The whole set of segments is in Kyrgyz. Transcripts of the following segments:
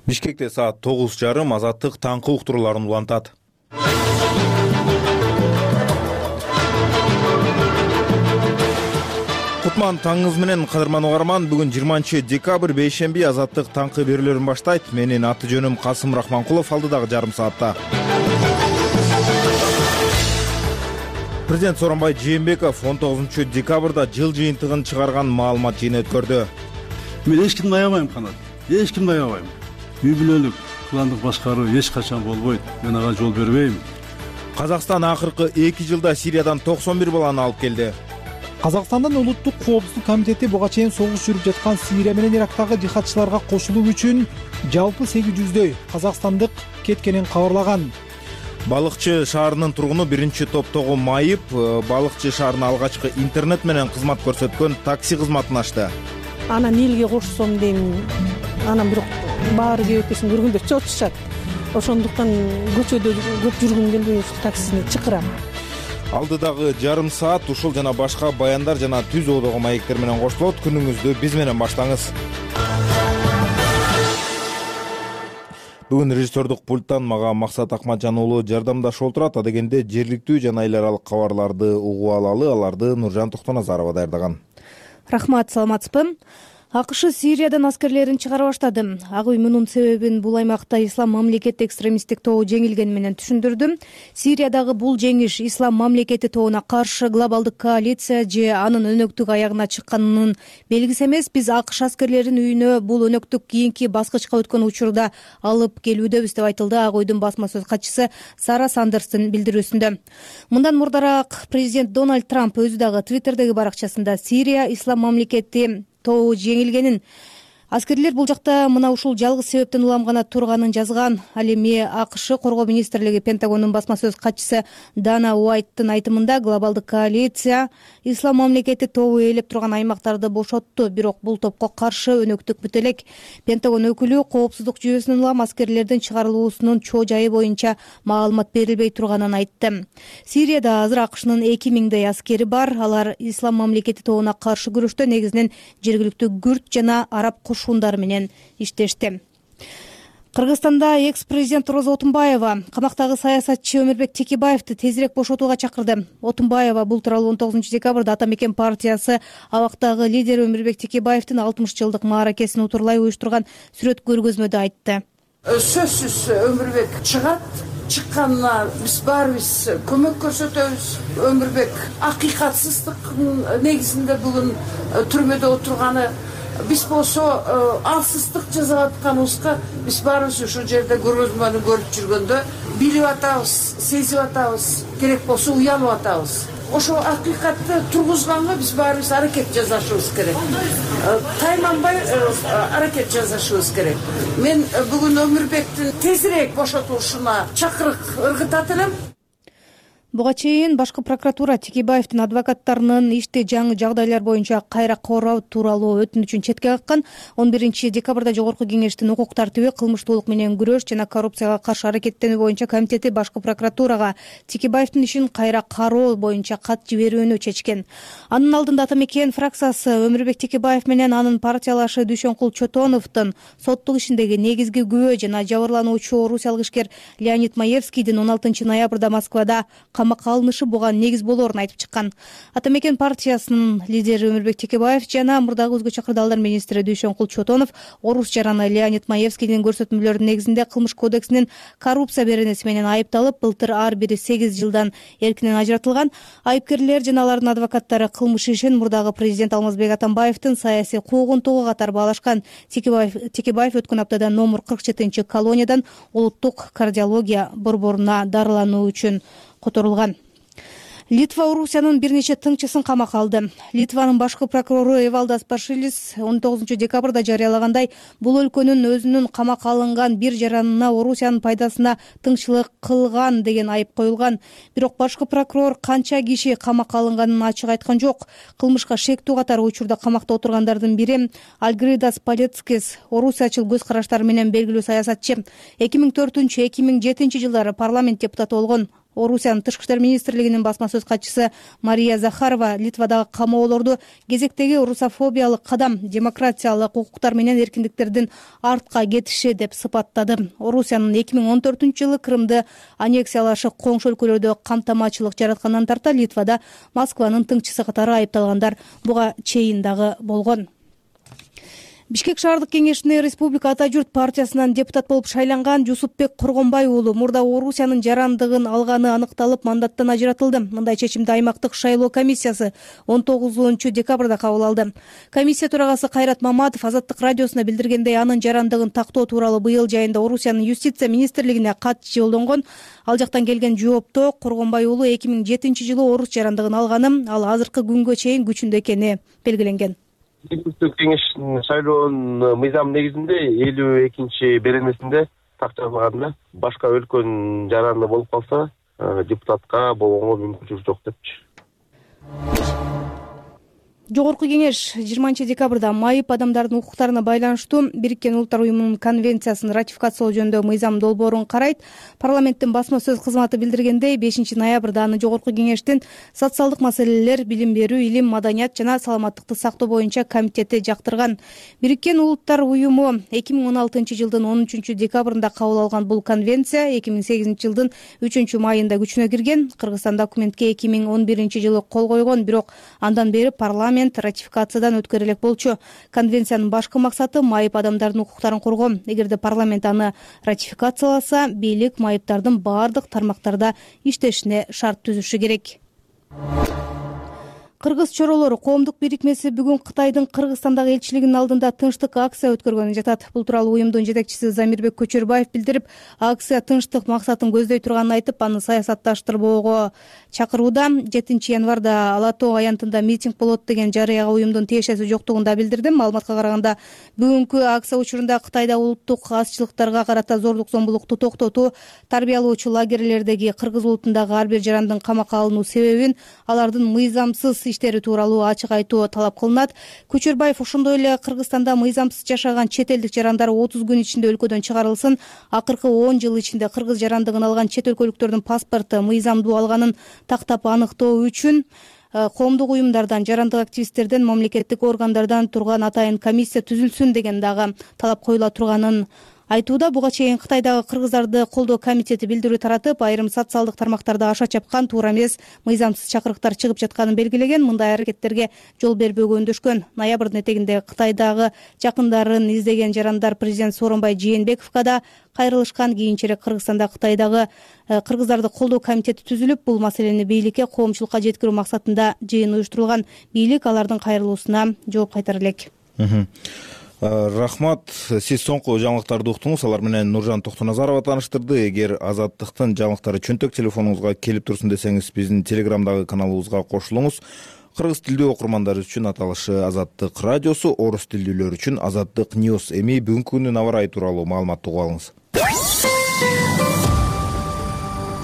Бишкекте саат 9:30 Азаттык таңкы уктурууларын улантат. Кутман таңыңыз менен, кадырман угарман. Бүгүн 20 декабрь бейшемби Азаттык таңкы берүүлөрүн баштайт. Менин аты жөнүм Касым Рахманкулов. Алдыдагы жарым саатта Президент Сооронбай Жээнбеков 19 декабрда жыл жыйынтыгын чыгарган маалымат жыйыны өткөрдү. Мен эч кимди аябайм, Канат. Эч кимди аябайм. Үй бүлөлүк, кландык башкаруу эч качан болбойт. Мен ага жол бербейм. Казакстан акыркы 2 жылда Сириядан 91 баланы алып келди. Казакстандын Улуттук коопсуздук комитети буга чейин согуш жүрүп жаткан Сирия менен Ирактагы жихадчыларга кошулуу үчүн жалпы 800дөй казакстандык кеткенин кабарлаган. Балыкчы шаарынын тургуну биринчи топтогу майып Балыкчы шаарына алгачкы интернет менен кызмат көрсөткөн такси кызматын ачты. Анан элге кошсом дейм. Анан бирок баары кебекесин көргөндөр чоочушат. Ошондуктан көчөдө көп жүргүм келбей ушул таксини чакырам. Алдыдагы жарым саат ушул жана башка баяндар жана түз оодогу маектер менен коштолот. Күнүңүздү биз менен баштаңыз. Бүгүн режиссердук пульттан мага Максат Акматжан уулу жардамдашып отурат. Адегенде жергиликтүү жана эл аралык кабарларды угуп алалы. Аларды Нуржан Токтоназарова даярдаган. Рахмат, саламатсызбы? АКШ Сириядан аскерлерин чыгара баштады. Ак үй мунун себебин бул аймакта Ислам мамлекети экстремисттик тобу жеңилгени менен түшүндүрдү. Сириядагы бул жеңиш Ислам мамлекети тобуна каршы глобалдык коалиция же анын өнөктүк аягына чыкканынын белгиси эмес. Биз АКШ аскерлерин үйүнө бул өнөктүк кийинки баскычка өткөн учурда алып келүүдөбүз деп айтылды Ак үйдүн басма сөз катчысы Сара Сандерстин билдирүүсүндө. Мындан мурдараак президент Дональд Трамп өзү дагы Твиттердеги баракчасында Сирия Ислам мамлекети тобу жеңилгенин, аскерлер бул жакта мына ушул жалгыз себептен уламгана турганын жазган. Ал эми АКШ Коргоо министрлиги Пентагондун басма сөз катчысы Дана Уайттын айтымында глобалдык коалиция Ислам мамлекети тобу ээлеп турган аймактарды бошотту, бирок бул топко каршы өнөктүк бүт элек. Пентагон өкүлү коопсуздук жүйөсүнөн улам аскерлердин чыгарылуусунун чоо жайы боюнча маалымат берилбей турганын айтты. Сирияда азыр АКШнын 2000дей аскери бар. Алар Ислам мамлекети тобуна каршы күрөштө негизинен жергиликтүү күрд жана араб кошундар менен иштешти. Кыргызстанда экс-президент Роза Отунбаева камактагы саясатчы Өмүрбек Текебаевди тезирээк бошотууга чакырды. Отунбаева бул тууралуу 19 декабрда Ата Мекен партиясы абактагы лидери Өмүрбек Текебаевдин 60 жылдык мааракесин утурлай уюштурган сүрөт көргөзмөдө айтты. Сөзсүз Өмүрбек чыгат. Чыкканына биз баарыбыз көмөк көрсөтөбүз. Өмүрбек акыйкатсыздыктын негизинде бүгүн түрмөдө отурганы, биз болсо алсыздык жасап атканыбызга биз баарыбыз ушул жерде көргөзмөнү көрүп жүргөндө билип атабыз, сезип атабыз, керек болсо уянып атабыз. Ошо акыйкатты тургузганга биз баарыбыз аракет жасашыбыз керек. Тайманбай аракет жасашыбыз керек. Мен бүгүн Өмүрбектин тезирээк бошотулушуна чакырык ыргытат элем. Буга чейин башкы прокуратура Текебаевдин адвокаттарынын ишти жаңы жагдайлар боюнча кайра кароо тууралуу өтүнүчүн четке каккан. 11 декабрда Жогорку кеңештин укук тартиби, кылмыштуулук менен күрөш жана коррупцияга каршы аракеттенүү боюнча комитети башкы прокуратурага Текебаевдин ишин кайра кароо боюнча кат жиберүүнү чечкен. Анын алдында Ата Мекен фракциясы Өмүрбек Текебаев менен анын партиялашы Дүйшөнкул Чотоновдун соттук ишиндеги негизги күбө жана жабырлануучу орусиялык ишкер Леонид Маевскийдин 16 ноябрда Москвада камакка алынышы буга негиз болоорун айтып чыккан. Ата Мекен партиясынын лидери Өмүрбек Текебаев жана мурдагы өзгөчө кырдаалдар министри Дүйшөнкул Чотонов орус жараны Леонид Маевскийдин көрсөтмөлөрүнүн негизинде кылмыш кодексинин коррупция беренеси менен айыпталып, былтыр ар бири 8 жылдан эркинен ажыратылган. Айыпкерлер жана алардын адвокаттары кылмыш ишин мурдагы президент Алмазбек Атамбаевдин саясий куугунтугу катары баалашкан. Текебаев өткөн аптада номер 47 колониядан улуттук кардиология борборуна дарылануу үчүн которулган. Литва Орусиянын бир нече тыңчысын камакка алды. Литванын башкы прокурору Эвалдас Пашилис 19 декабрда жарыялагандай, бул өлкөнүн өзүнүн камакка алынган бир жаранына Орусиянын пайдасына тыңчылык кылган деген айып коюлган. Бирок башкы прокурор канча киши камакка алынганын ачык айткан жок. Кылмышка шектүү катары учурда камакта отургандардын бири Альгридас Палецкис, орусиячыл көз караштары менен белгилүү саясатчы. 2004-2007 жылдары парламент депутаты болгон. Орусиянын тышкы иштер министрлигинин басма сөз катчысы Мария Захарова Литвадагы камоолорду кезектеги русофобиялык кадам, демократиялык укуктар менен эркиндиктердин артка кетиши деп сыпаттады. Орусиянын 2014-жылы Крымды аннексиялашы коңшу өлкөлөрдө камтамачылык жараткандан тарта Литвада Москванын тыңчысы катары айыпталгандар буга чейин дагы болгон. Бишкек шаардык кеңешине Республика Ата журт партиясынан депутат болуп шайланган Жусупбек Коргонбай уулу мурда Орусиянын жарандыгын алганы аныкталып, мандаттан ажыратылды. Мындай чечимди аймактык шайлоо комиссиясы 19-декабрда кабыл алды. Комиссия төрагасы Кайрат Маматов Азаттык радиосуна билдиргендей, анын жарандыгын тактоо тууралуу быйыл жайында Орусиянын юстиция министрлигине кат жолдонгон. Ал жактан келген жоопто Коргонбай уулу 2007-жылы орус жарандыгын алганын, ал азыркы күнгө чейин күчүндө экени белгиленген. Депутаттык кеңештин шайлоонун мыйзам негизинде 52-беренесинде так жазылганда башка өлкөнүн жаранды болуп калса депутатка болгонго мүмкүнчүлүк жок депчи. Жогорку кеңеш 20-декабрда майып адамдардын укуктарына байланыштуу Бириккен Улуттар уюмунун конвенциясын ратификациялоо жөнүндө мыйзам долбоорун карайт. Парламенттин басма сөз кызматы билдиргендей, 5-ноябрда аны жогорку кеңештин социалдык маселелер, билим берүү, илим, маданият жана саламаттыкты сактоо боюнча комитети жактырган. Бириккен Улуттар уюму 2016-жылдын 13-декабрында кабыл алган бул конвенция 2008-жылдын 3-майында күчүнө кирген. Кыргызстан документке 2011-жылы кол койгон, бирок андан бери парламент ратификациядан өткөрө элек болчу. Конвенциянын башкы максаты майып адамдардын укуктарын коргоо. Эгерде парламент аны ратификацияласа, бийлик майыптардын баардык тармактарда иштешине шарт түзүшү керек. Кыргыз чоролору коомдук бирикмеси бүгүн Кытайдын Кыргызстандагы элчилигинин алдында тынчтык акция өткөргөнү жатат. Бул тууралуу уюмдун жетекчиси Замирбек Көчөрбаев билдирип, акция тынчтык максатын көздөй турганын айтып, аны саясатташтырбоого чакырууда. 7-январда Ала Тоо аянтында митинг болот деген жарыяга уюмдун тиешеси жоктугун да билдирди. Маалыматка караганда, бүгүнкү акция учурунда Кытайда улуттук азчылыктарга карата зордук зомбулукту токтотуу, тарбиялоочу лагерлердеги кыргыз улутундагы ар бир жарандын камакка алынуу себебин, алардын мыйзамсыз иштери тууралуу ачык айтуу талап кылынат. Көчөрбаев ошондой эле Кыргызстанда мыйзамсыз жашаган чет элдик жарандар 30 күн ичинде өлкөдөн чыгарылсын. Акыркы 10 жыл ичинде кыргыз жарандыгын алган чет өлкөлүктөрдүн паспорту мыйзамдуу алганын тактап аныктоо үчүн коомдук уюмдардан, жарандык активисттерден, мамлекеттик органдардан турган атайын комиссия түзүлсүн деген дагы талап коюла турганын айтууда. Буга чейин Кытайдагы кыргыздарды колдоо комитети билдирүү таратып, айрым социалдык тармактарда аша чапкан, туура эмес, мыйзамсыз чакырыктар чыгып жатканын белгилеген. Мындай аракеттерге жол бербөөгө өндөшкөн. Ноябрдын этегинде Кытайдагы жакындарын издеген жарандар президент Сооронбай Жээнбековго да кайрылышкан. Кийинчерээк Кыргызстанда Кытайдагы кыргыздарды колдоо комитети түзүлүп, бул маселени бийликке, коомчулукка жеткирүү максатында жыйын уюштурулган. Бийлик алардын кайрылуусуна жооп кайтара элек. Рахмат. Сиз соңку жаңылыктарды уктуңуз. Алар менен Нуржан Токтоназарова тааныштырды. Эгер Азаттыктын жаңылыктары чөнтөк телефонуңузга келип турсун десеңиз, биздин Телеграмдагы каналыбызга кошулуңуз. Кыргыз тилдүү окурмандар үчүн аталышы Азаттык радиосу, орус тилдүүлөр үчүн Азаттык News. Эми бүгүнкү күндүн аба ырайы тууралуу маалыматты угуп алыңыз.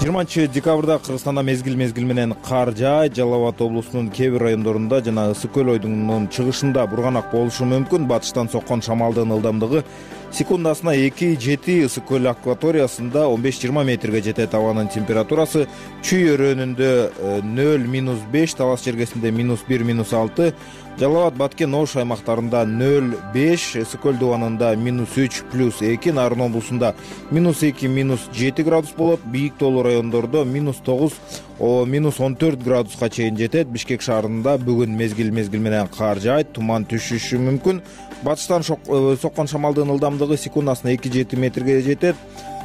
20-декабрда Кыргызстанда мезгил менен кар жаайт. Жалал Абад облусунун кээ бир райондорунда жана Ысык көл ойдунун чыгышында бурганак болушу мүмкүн. Батыштан соккон шамалдын ылдамдыгы секундасына 2-7, Ысык көл акваториясында 15-20 метрге жетет. Абанын температурасы Чүй өрөөнүндө 0-5, Талас жергесинде -1, -6, Жалал Абад, Баткен, Ош аймактарында 0-5, Ысык көл дубанында -3, +2, Нарын облусунда -2, -7 градус болот. Бийик тоолуу райондордо -9, -14 градуска чейин жетет. Бишкек шаарында бүгүн мезгил менен кар жаайт, туман түшүшү мүмкүн. Батыштан соккон шамалдын ылдамдыгы секундасына 2-7 метрге жетет.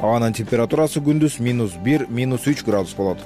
Абанын температурасы күндүз -1, -3 градус болот.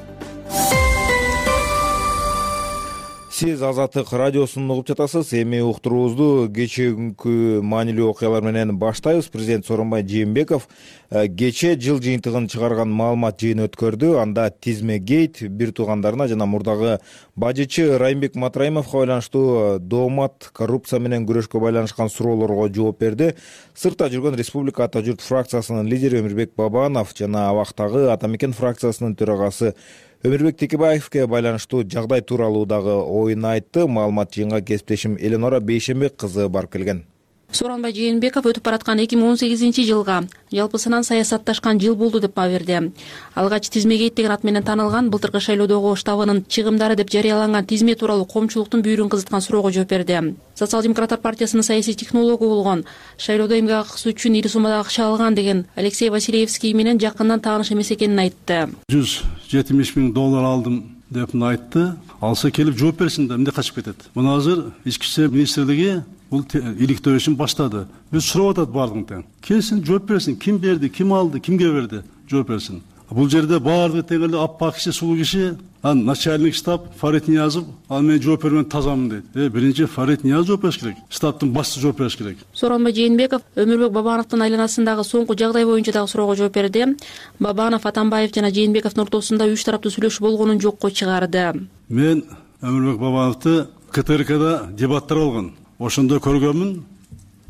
Сиз Азаттык радиосун угуп жатасыз. Эми уктуруубузду кечээкүнкү маанилүү окуялар менен баштайбыз. Президент Сооронбай Жээнбеков кечээ жыл жыйынтыгын чыгарган маалымат жыйыны өткөрдү. Анда Тизме гейт бир туугандарына жана мурдагы бажычы Райымбек Матраимовго байланыштуу доомат, коррупция менен күрөшкө байланышкан суроолорго жооп берди. Сыртта жүргөн Республика Ата журт фракциясынын лидери Өмүрбек Бабанов жана абактагы Ата мекен фракциясынын төрагасы Өмүрбек Текебаевке байланыштуу жагдай тууралуу дагы оюн айтты. Маалымат жыйынга кесиптешим Эленора Бейшембек кызы барып келген. Сооронбай Жээнбеков өтүп бараткан 2018 жылга жалпысынан саясатташкан жыл болду деп баа берди. Алгач тизмеге деген ат менен таанылган былтыркы шайлоодогу штабынын чыгымдары деп жарыяланган тизме тууралуу коомчулуктун бүйүрүн кызыткан суроого жооп берди. Социал-демократтар партиясынын саясий технологу болгон, шайлоодо эмгек акысы үчүн ири суммада акча алган деген Алексей Василевский менен жакындан тааныш эмес экенин айтты. $170,000 алдым деп айтты. Алса келип жооп берсин да, эмне качып кетет. Мына азыр ички иштер министрлиги бул иликтөө ишин баштады. Биз сурап атат бардыгын тең. Келсин, жооп берсин, ким берди, ким алды, кимге берди, жооп берсин. Бул жерде баардыгы тең эле аппак киши, сулуу киши, начальник штаб Фарид Ниязов, ал мен жооп бермен тазамын дейт. Биринчи Фарид Ниязов жооп бериш керек. Штабтын башчысы жооп бериш керек. Сооронбай Жээнбеков Өмүрбек Бабановдун айланасындагы соңку жагдай боюнча дагы суроого жооп берди. Бабанов Атамбаев жана Жээнбековдун ортосунда үч тараптуу сүйлөшүү болгонун жокко чыгарды. Мен Өмүрбек Бабановду КТРКда дебаттар болгон. Ошондо көргөнмүн,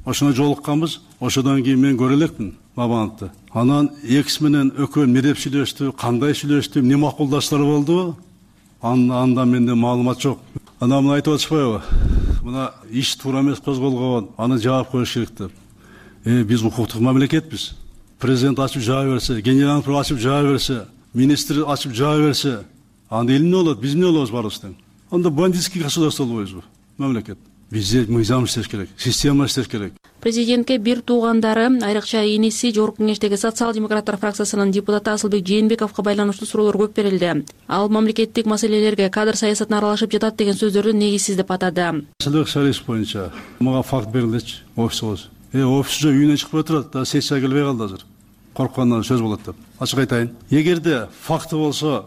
ошондо жолукканбыз, ошодон кийин мен көрө элекмин Бабановду. Анан экс менен экөө эмнедеп сүйлөштү, кандай сүйлөштү, эмне макулдаштар болду, андан менде маалымат жок. Анан муну айтып атышпайбы? Мына иш туура эмес козголгон, аны жаап коюш керек деп. Биз укуктук мамлекетпиз. Президент ачып жаап берсе, генерал прокурор ачып жаап берсе, министр ачып жаап берсе, анда эл эмне болот, биз эмне болобуз барыбыз тең. Анда бандитский государство болбойбузбу? Мамлекет. Бизде мыйзам иштеш керек, система иштеш керек. Президентке бир туугандары, айрыкча иниси Жогорку Кеңештеги социал-демократтар фракциясынын депутаты Асылбек Жээнбековго байланыштуу суроолор көп берилди. Ал мамлекеттик маселелерге, кадр саясатына аралашып жатат деген сөздөрдү негизсиз деп атады. Асылбек Шарипов боюнча мага факт берилдичи, офисибиз. Офисчу үйүнөн чыгып отурат, да сессия келбей калды азыр. Корккондон сөз болот деп. Ачык айтайын. Эгерде факты болсо,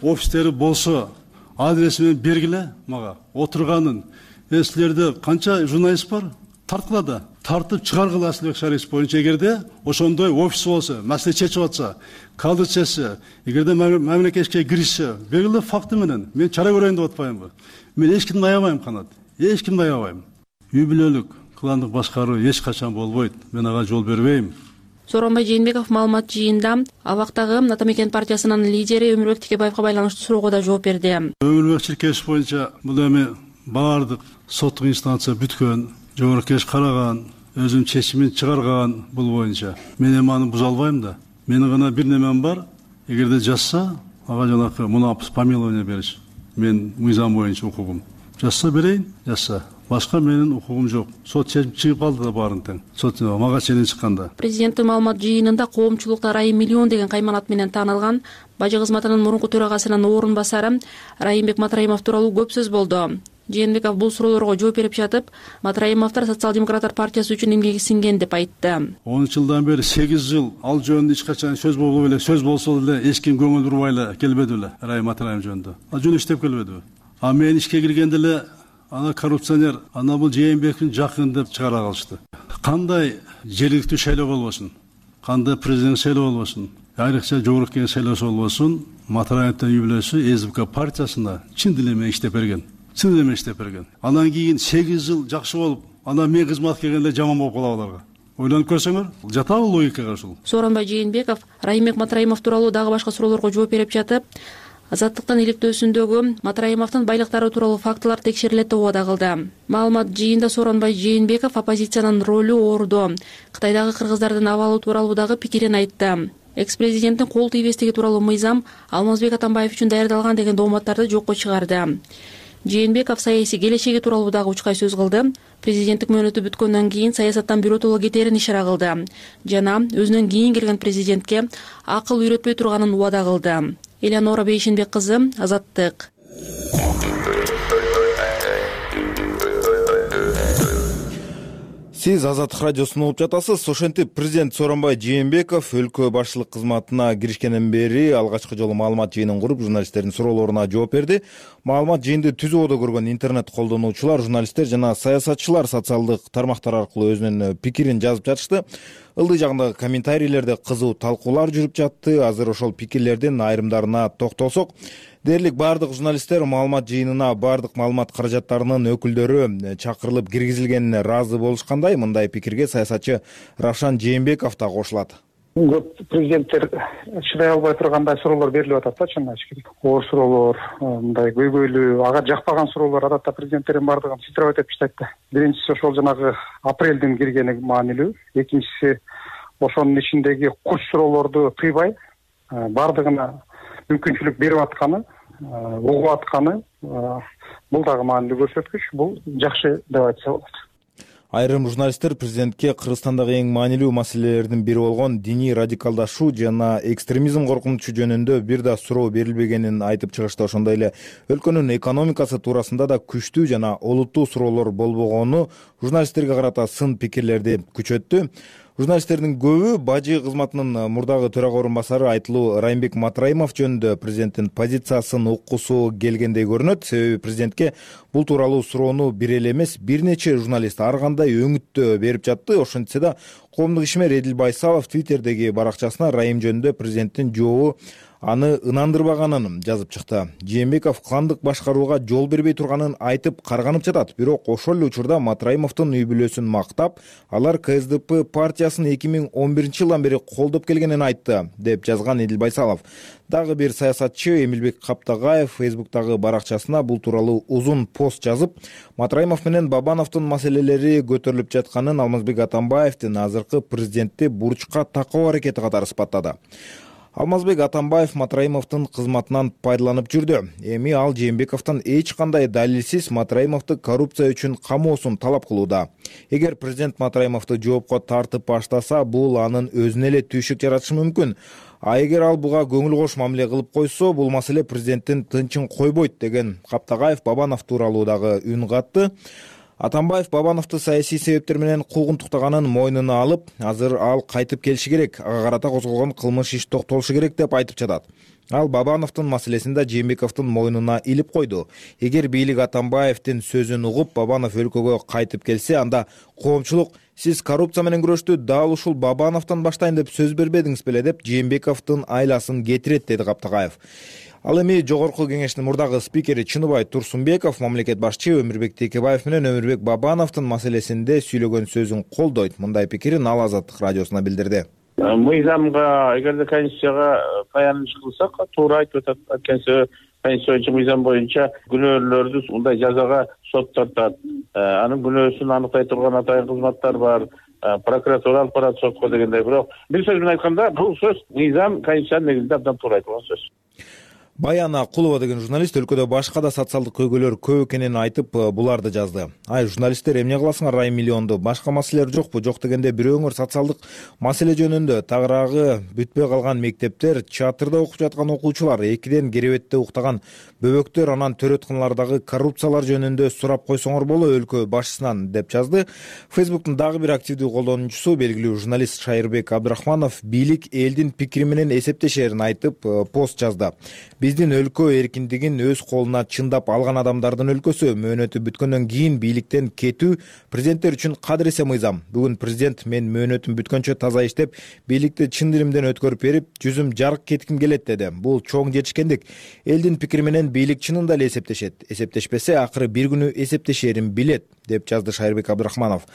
офистери болсо, адреси менен бергиле мага. Отурганын силерде канча журналист бар? Тарткыла, тартып чыгаргыла Асылбек Шарипов боюнча эгерде ошондой офис болсо, маселе чечип атса, кадр чечсе, эгерде мамлекетке киришсе, бергиле факты менен. Мен чара көрөйүн деп атпаймынбы? Мен эч кимди аябайм, Канат. Эч кимди аябайм. Үй бүлөлүк, кландык башкаруу эч качан болбойт. Мен ага жол бербейм. Сооронбай Жээнбеков маалымат жыйында абактагы Атамекен партиясынын лидери Өмүрбек Текебаевга байланыштуу суроого да жооп берди. Өмүрбек Чиркешев боюнча бул эми баардык соттук инстанция бүткөн, Жогорку Кеңеш караган, өзүм чечимин чыгарган бул боюнча. Мен эми аны буза албайм да. Менин гана бир немем бар. Эгерде жазса, ага жанакы муну помилование бериш. Мен мыйзам боюнча укугум. Жазса берейин, жазса. Башка менин укугум жок. Сот чечип чыгып алды да баарын тең. Сот мага ченин чыкканда. Президенттин маалымат жыйынында коомчулукта Райым Миллион деген кайманат менен таанылган бажы кызматынын мурунку төрагасынын орун басары Райымбек Матраимов тууралуу көп сөз болду. Жээнбеков бул суроолорго жооп берип жатып, Матраимовдор социал-демократтар партиясы үчүн эмгеги сиңген деп айтты. 10 жылдан бери 8 жыл ал жөнүндө эч качан сөз болбой эле, сөз болсо эле эч ким көңүл бурбай эле келбеди эле Райым Матраимов жөнүндө. Ал жөн иштеп келбедиби? А мен ишке киргенде эле ана коррупционер, ана бул Жээнбековдун жакын деп чыгара калышты. Кандай жергиликтүү шайлоо болбосун, кандай президент шайлоо болбосун, айрыкча Жогорку Кеңеш шайлоосу болбосун, Матраимовдун үй бүлөсү СБК партиясында чын эле иштеп берген. Чын эле иштеп берген. Андан кийин 8 жыл жакшы болуп, анан мен кызмат келгенде жаман болуп калабы аларга. Ойлонуп көрсөңөр, жатабы логикага ушул? Сооронбай Жээнбеков Райымбек Матраимов тууралуу дагы башка суроолорго жооп берип жатып, Азаттыктын иликтөөсүндөгү Матраимовдун байлыктары тууралуу фактылар текшерилет деп убада кылды. Маалымат жыйында Сооронбай Жээнбеков оппозициянын ролу оорудо, Кытайдагы кыргыздардын абалы тууралуу дагы пикирин айтты. Экс-президенттин кол тийбестиги тууралуу мыйзам Алмазбек Атамбаев үчүн даярдалган деген дооматтарды жокко чыгарды. Жээнбеков саясий келечеги тууралуу дагы учкай сөз кылды. Президенттик мөөнөтү бүткөндөн кийин саясаттан биротоло кетерин ишара кылды жана өзүнөн кийин келген президентке акыл үйрөтпөй турганын убада кылды. Элеонора Бейшенбек кызы, Азаттык. Сиз Азаттык радиосун угуп жатасыз. Ошентип президент Сооронбай Жээнбеков өлкө башчылык кызматына киришкенден бери алгачкы жолу маалымат жыйынын куруп, журналисттердин суроолоруна жооп берди. Маалымат жыйынды түзүүдө көргөн интернет колдонуучулар, журналисттер жана саясатчылар социалдык тармактар аркылуу өзүнүн пикирин жазып жатышты. Ылдый жагындагы комментарийлерде кызуу талкуулар жүрүп жатты. Азыр ошол пикирлердин айрымдарына токтолсок, дээрлик бардык журналисттер маалымат жыйынына бардык маалымат каражаттарынын өкүлдөрү чакырылып киргизилгенине ыраазы болушкандай. Мындай пикирге саясатчы Равшан Жээнбеков да кошулат. Көп президенттер чыдай албай тургандай суроолор берилип атат да, чын ачык. Оор суроолор, мындай көйгөйлүү, ага жакпаган суроолор адатта президенттердин баардыгын фильтровать этип таштайт да. Биринчиси ошол жанагы апрелдин киргени маанилүү. Экинчиси ошонун ичиндеги куч суроолорду тыйбай баардыгына мүмкүнчүлүк берип атканы, угуп атканы, бул дагы маанилүү көрсөткүч. Бул жакшы деп айтса болот. Айрым журналисттер президентке Кыргызстандагы эң маанилүү маселелердин бири болгон диний радикалдашуу жана экстремизм коркунучу жөнүндө бир да суроо берилбегенин айтып чыгышты. Ошондой эле өлкөнүн экономикасы туурасында да күчтүү жана олуттуу суроолор болбогону журналисттерге карата сын пикирлерди күчөттү. Журналисттердин көбү бажы кызматынын мурдагы төрага орун басары Айтылуу Райымбек Матраимов жөнүндө президенттин позициясын уккусу келгендей көрүнөт. Себеби президентке бул тууралуу суроону бир эле эмес, бир нече журналист ар кандай өңүттө берип жатты. Ошентсе да коомдук ишмер Эдил Байсалов Твиттердеги баракчасына Райым жөнүндө президенттин жообу аны ынандырбаганын жазып чыкты. Жээнбеков кландык башкарууга жол бербей турганын айтып карганып жатат. Бирок ошол эле учурда Матраимовдун үй бүлөсүн мактап, алар КСДП партиясын 2011 жылдан бери колдоп келгенин айтты, деп жазган Эдил Байсалов. Дагы бир саясатчы Эмилбек Каптагаев Фейсбуктагы баракчасына бул тууралуу узун пост жазып, Матраимов менен Бабановдун маселелери көтөрүлүп жатканын Алмазбек Атамбаевдин азыркы президентти бурчка такоо аракети катары сыпаттады. Алмазбек Атамбаев Матраимовдун кызматынан пайдаланып жүрдү. Эми ал Жээнбековдон эч кандай далилсиз Матраимовду коррупция үчүн камоосун талап кылууда. Эгер президент Матраимовду жоопко тартып баштаса, бул анын өзүнө эле түйшүк жаратышы мүмкүн. А эгер ал буга көңүл кош мамиле кылып койсо, бул маселе президенттин тынчын койбойт, деген Каптагаев Бабанов тууралуу дагы үн катты. Атамбаев Бабановду саясий себептер менен куугунтуктаганын мойнуна алып, азыр ал кайтып келиши керек, ага карата козголгон кылмыш иш токтолушу керек деп айтып жатат. Ал Бабановдун маселесин да Жээнбековдун мойнуна илип койду. Эгер бийлик Атамбаевдин сөзүн угуп, Бабанов өлкөгө кайтып келсе, анда коомчулук сиз коррупция менен күрөштү дал ушул Бабановдон баштайын деп сөз бербедиңиз беле, деп Жээнбековдун айласын кетирет, деди Каптагаев. Ал эми жогорку кеңештин мурдагы спикери Чыныбай Турсунбеков мамлекет башчы Өмүрбек Текебаев менен Өмүрбек Бабановдун маселесинде сөйлөгөн сөзүн колдойт. Мындай пикирин ал Азаттык радиосуна билдирди. Мыйзамга, эгерде Конституцияга таяныш кылсак, туура айтып атат. Анткени Конституция боюнча, мыйзам боюнча күнөөлүүлөрдү мындай жазага сот тартат. Анын күнөөсүн аныктай турган атайын кызматтар бар. Прокуратура алып барат сотко дегендей. Бирок бир сөз менен айтканда, бул сөз мыйзам Конституциянын негизинде абдан туура айтылган сөз. Баяна Кулова деген журналист өлкөдө башка да социалдык көйгөйлөр көп экенин айтып, буларды жазды. Ай, журналисттер, эмне кыласыңар Райым миллионду? Башка маселелер жокпу? Жок дегенде бирөөңөр социалдык маселе жөнүндө тагыраагы бүтпөй калган мектептер, чатырда окуп жаткан окуучулар, 2ден керебетте уктаган бөбөктөр, анан төрөткөнлөрдөгү коррупциялар жөнүндө сурап койсоңор боло өлкө башчысынан, деп жазды. Фейсбуктун дагы бир активдүү колдонуучусу, белгилүү журналист Шайырбек Абдрахманов, бийлик элдин пикири менен эсептешерин айтып, пост жазды. Биздин өлкө эркиндигин өз колуна чындап алган адамдардын өлкөсү. Мөөнөтү бүткөндөн кийин бийликтен кетүү президенттер үчүн кадыресе мыйзам. Бүгүн президент мен мөөнөтүм бүткөнчө таза иштеп, бийликти чын диримден өткөрүп берип, жүзүм жарык кетким келет, деди. Бул чоң жетишкендик. Элдин пикири менен бийлик чынында эле эсептешет. Эсептешпесе, акыры бир күнү эсептешерин билет, деп жазды Шайырбек Абдрахманов.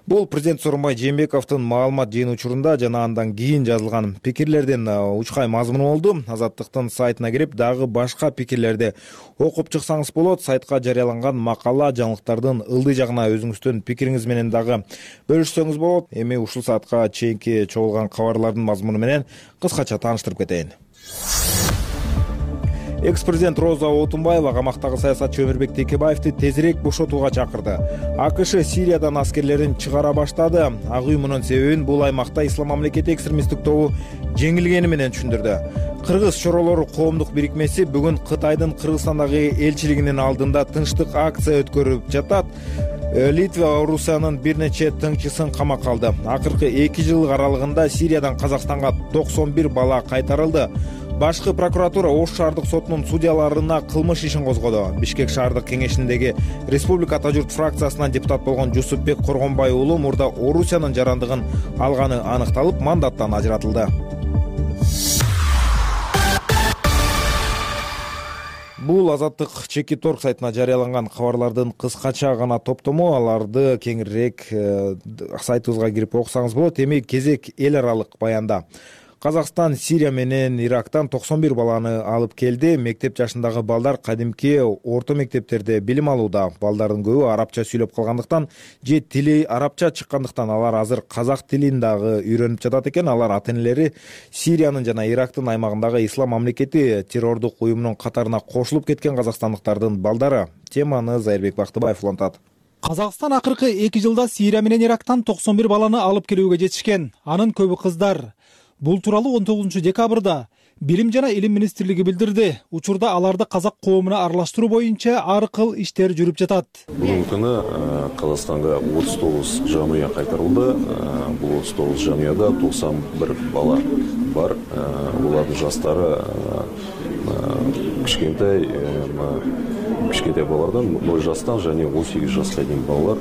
Бул президент Сооронбай Жээнбековдун маалымат жыйын учурунда жана андан кийин жазылган пикирлердин учкай мазмуну болду. Азаттыктын сайтына кирип, дагы башка пикирлерди окуп чыксаңыз болот. Сайтка жарыяланган макала, жаңылыктардын ылдый жагына өзүңүздүн пикириңиз менен дагы бөлүшсөңүз болот. Эми ушул саатка чейинки чогулган кабарлардын мазмуну менен кыскача тааныштырып кетейин. Экс-президент Роза Отунбаева камактагы саясатчы Өмүрбек Текебаевди тезирээк бошотууга чакырды. АКШ Сириядан аскерлерин чыгара баштады. Ак үй мунун себебин бул аймакта Ислам мамлекети экстремисттик тобу жеңилгени менен түшүндүрдү. Кыргыз чоролору коомдук бирикмеси бүгүн Кытайдын Кыргызстандагы элчилигинин алдында тынчтык акция өткөрүп жатат. Литва Орусиянын бир нече тыңчысын камакка алды. Акыркы 2 жыл аралыгында Сириядан Казакстанга 91 бала кайтарылды. Башкы прокуратура Ош шаардык сотунун судьяларына кылмыш ишин козгоду. Бишкек шаардык кеңешиндеги Республика Ата журт фракциясынан депутат болгон Жусупбек Коргонбай уулу мурда Орусиянын жарандыгын алганы аныкталып, мандаттан ажыратылды. Бул Азаттык Чеки торг сайтына жарыяланган кабарлардын кыскача гана топтому. Аларды кеңирээк сайтыбызга кирип окусаңыз болот. Эми кезек эл аралык баянда. Казакстан Сирия менен Ирактан 91 баланы алып келди. Мектеп жашындагы балдар кадимки орто мектептерде билим алууда. Балдардын көбү арабча сүйлөп калгандыктан же тили арабча чыккандыктан алар азыр казак тилин дагы үйрөнүп жатат экен. Алар ата-энелери Сириянын жана Ирактын аймагындагы ислам мамлекети террордук уюмунун катарына кошулуп кеткен казакстандыктардын балдары. Теманы Зайырбек Бактыбаев улантат. Казакстан акыркы 2 жылда Сирия менен Ирактан 91 баланы алып келүүгө жетишкен. Анын көбү кыздар. Бул тууралуу 19 декабрда Билим жана Илим министрлиги билдирди. Учурда аларды казак коомуна аралаштыруу боюнча ар кыл иштер жүрүп жатат. Бүгүнкү күнү Казакстанга 39 жамыя кайтарылды. Бул 39 жамыяда 91 бала бар. Булардын жаштары кичкентай балардан 0 жастан және 18 жаска чейин балалар.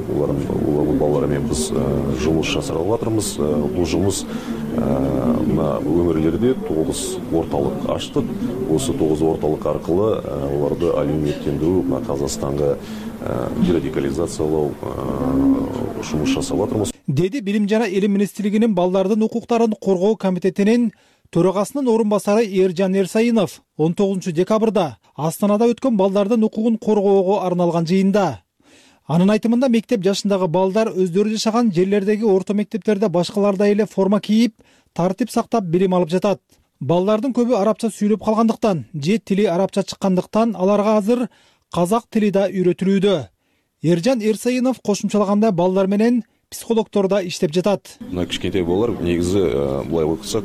Улардын балалары менен биз жумуш жасап жатырмыз. Бул жумуш өңүрлөрдө 9 орталык ачтык. Осы 9 орталык аркылы уларды алиметтендирүү, Казакстанга дерадикализациялоо жумуш жасап жатырмыз. Деди Билим жана Илим министрлигинин балдардын укуктарын коргоо комитетинин төрагасынын орун басары Эржан Эрсайынов 19 декабрда Астанада өткөн балдардын укугун коргоого арналган жыйында. Анын айтымында мектеп жашындагы балдар өздөрү жашаган жерлердеги орто мектептерде башкалардай эле форма кийип, тартип сактап билим алып жатат. Балдардын көбү арабча сүйлөп калгандыктан же тили арабча чыккандыктан аларга азыр казак тили да үйрөтүлүүдө. Эржан Эрсайынов кошумчалаганда балдар менен психологдор да иштеп жатат. Кичкентай балалар негизи булай окусак,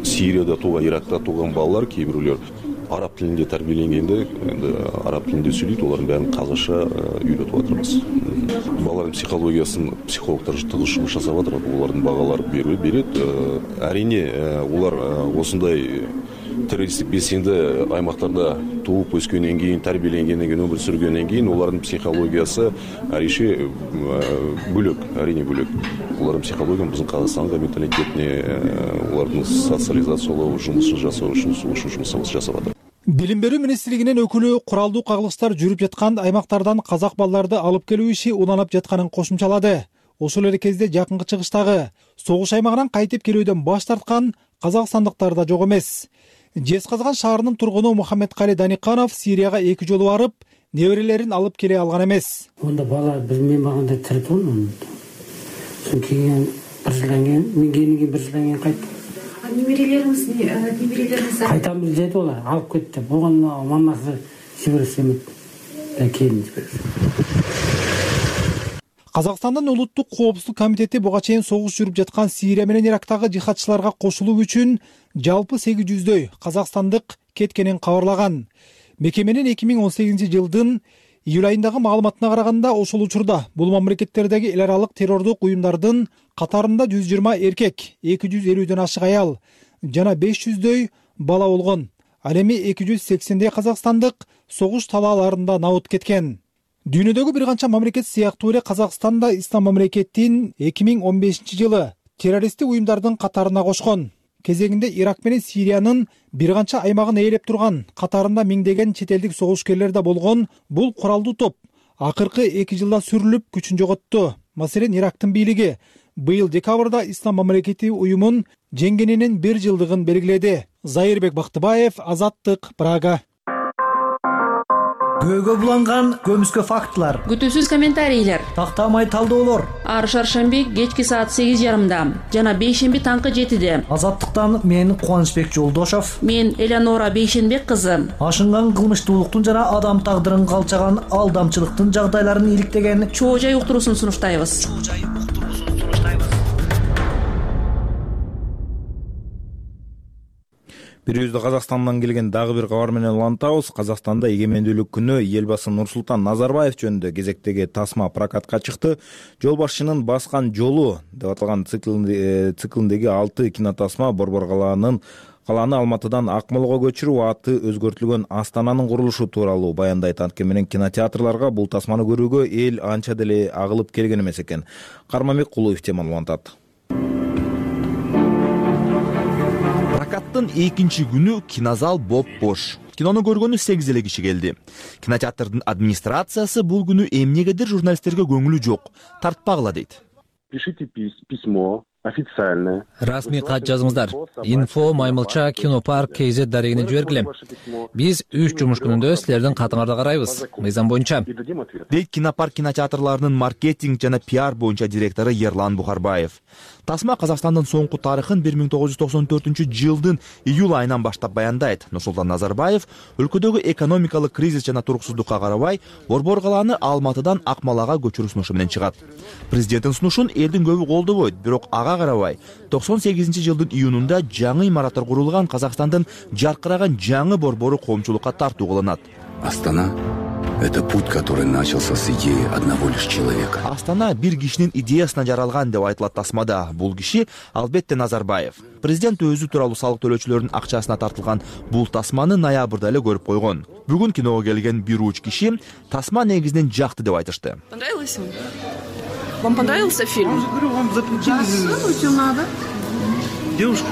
Сирияда тууган, Иракта тууган балалар кээ бирөөлөр араб тилинде тарбиеленгенде, араб тилинде сүйлөйт, олардын баарын казакча үйрөтүп атабыз. Балалардын психологиясын психологдор тыгыз жумуш жасап атат, улардын багалары берет. Арине улар осундай террористтик белсенди аймактарда тууп өскөндөн кийин, тарбиеленгенден кийин, өмүр сүргөндөн кийин улардын психологиясы арише бөлөк, арине бөлөк. Улардын психология биздин Казакстанга менталитетине, улардын социализациялоо жумушун жасоо үчүн жумуш жасап атат. Билим берүү министрлигинин өкүлү куралдуу кагылыштар жүрүп жаткан аймактардан казак балдарды алып келүү иши уланып жатканын кошумчалады. Ошол эле кезде жакынкы чыгыштагы согуш аймагынан кайтып келүүдөн баш тарткан казакстандыктар да жок эмес. Жезказган шаарынын тургуну Мухаммедкали Даниканов Сирияга 2 жолу барып, неберелерин алып келе алган эмес. Онда бала мен багында тирет болмун. Сон кийин бир жылдан кийин, мен кийин бир жылдан кийин кайттым. Неберелериңиз кайтам деди олар, алып кетти. Бугун мамасы жиберсе эмес. Келин жиберсе. Казакстандын улуттук коопсуздук комитети буга чейин согуш жүрүп жаткан Сирия менен Ирактагы жихадчыларга кошулуу үчүн жалпы 800дөй казакстандык кеткенин кабарлаган. Мекеменин 2018 жылдын июль айындагы маалыматына караганда, ошол учурда бул мамлекеттердеги эл аралык террордук уюмдардын катарында 120 эркек, 250дөн ашык аял жана 500дөй бала болгон. Ал эми 280дей казакстандык согуш талааларында набыт кеткен. Дүйнөдөгү бир канча мамлекет сыяктуу эле Казакстан да ислам мамлекетин 2015 жылы террористтик уюмдардын катарына кошкон. Кезегинде Ирак менен Сириянын бир канча аймагын ээлеп турган, катарында миңдеген чет элдик согушкерлер да болгон бул куралдуу топ акыркы 2 жылда сүрүлүп күчүн жоготту. Маселен, Ирактын бийлиги быйыл декабрда ислам мамлекети уюмун жеңгенинин 1 жылдыгын белгиледи. Зайырбек Бактыбаев, Азаттык, Прага. Көйгө буланган көмүскө фактылар, күтүүсүз комментарийлер, тактамай талдоолор. Ар шаршемби кечки саат 8:30, жана бейшемби таңкы 7-де. Азаттыктан мен Кубанычбек Жолдошов, мен Элеонора Бейшенбек кызы. Ашынган кылмыштуулуктун жана адам тагдырын калчаган алдамчылыктын жагдайларын иликтеген чоо жай уктуруусун сунуштайбыз. Бирөөздө Казакстандан келген дагы бир кабар менен улантабыз. Казакстанда эгемендүүлүк күнү элбасы Нурсултан Назарбаев жөнүндө кезектеги тасма прокатка чыкты. Жол башчынын баскан жолу деп аталган циклиндеги 6 кинотасма Борбор калааны Алматыдан Акмолго көчүрүү, аты өзгөртүлгөн Астананын курулушу тууралуу баяндайт. Анткени менен кинотеатрларга бул тасманы көрүүгө эл анча деле агылып келген эмес экен. Кармамбек Кулуев теманы улантат. Прокаттын экинчи күнү кинозал боп-бош. Кинону көргөнү 8 эле киши келди. Кинотеатрдын администрациясы бул күнү эмнегедир журналисттерге көңүлү жок, тартпагыла дейт. Пишите письмо официальное. Расмий кат жазыңыздар. Info Маймылча Кинопарк KZ дарегине жибергиле. Биз 3 жумуш күнүндө силердин катыңарды карайбыз. Мыйзам боюнча. Дейт Кинопарк кинотеатрларынын маркетинг жана пиар боюнча директору Ерлан Бухарбаев. Тасма Казакстандын соңку тарыхын 1994-жылдын июль айынан баштап баяндайт. Нурсултан Назарбаев өлкөдөгү экономикалык кризис жана туруксуздукка карабай, Борбор калааны Алматыдан Акмалага көчүрүү сунушу менен чыгат. Президенттин сунушун элдин көбү колдобойт, бирок ага карабай 98-жылдын июнунда жаңы имараттар курулган Казакстандын жаркыраган жаңы борбору коомчулукка тартуу кылынат. Астана — это путь, который начался с идеи одного лишь человека. Астана бир кишинин идеясына жаралган деп айтылат тасмада. Бул киши албетте Назарбаев. Президент өзү тууралуу салык төлөөчүлөрдүн акчасына тартылган бул тасманы ноябрда эле көрүп койгон. Бүгүн киного келген бир уч киши тасма негизинен жакты деп айтышты. Понравилось ему? Вам понравился фильм? Девушка.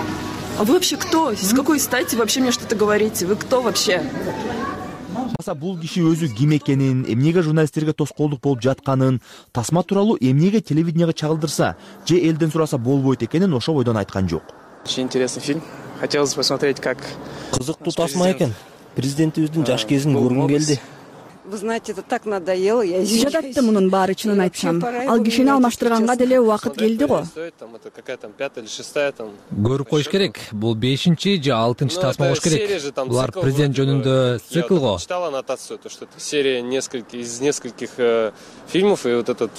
А вы вообще кто? С какой стати вообще мне что-то говорите? Вы кто вообще? Бул киши өзү ким экенин, эмнеге журналисттерге тоскоолдук болуп жатканын, тасма тууралуу эмнеге телевиденияга чагылдырса, же элден сураса болбойт экенин ошо бойдон айткан жок. Очень интересный фильм. Хотелось посмотреть, как... Кызыктуу тасма экен. Президентибиздин жаш кезин көргүм келди. Вы знаете, это так надоело, я извиняюсь. Жататты мунун баары, чынын айтсам. Ал кишини алмаштырганга деле убакыт келди го. Это какая там 5-я или 6-я там. Көрүп коюш керек. Бул 5-чи же 6-чы тасма болуш керек. Булар президент жөнүндө цикл го. Я читал аннотацию, то что это серия из нескольких фильмов, и вот этот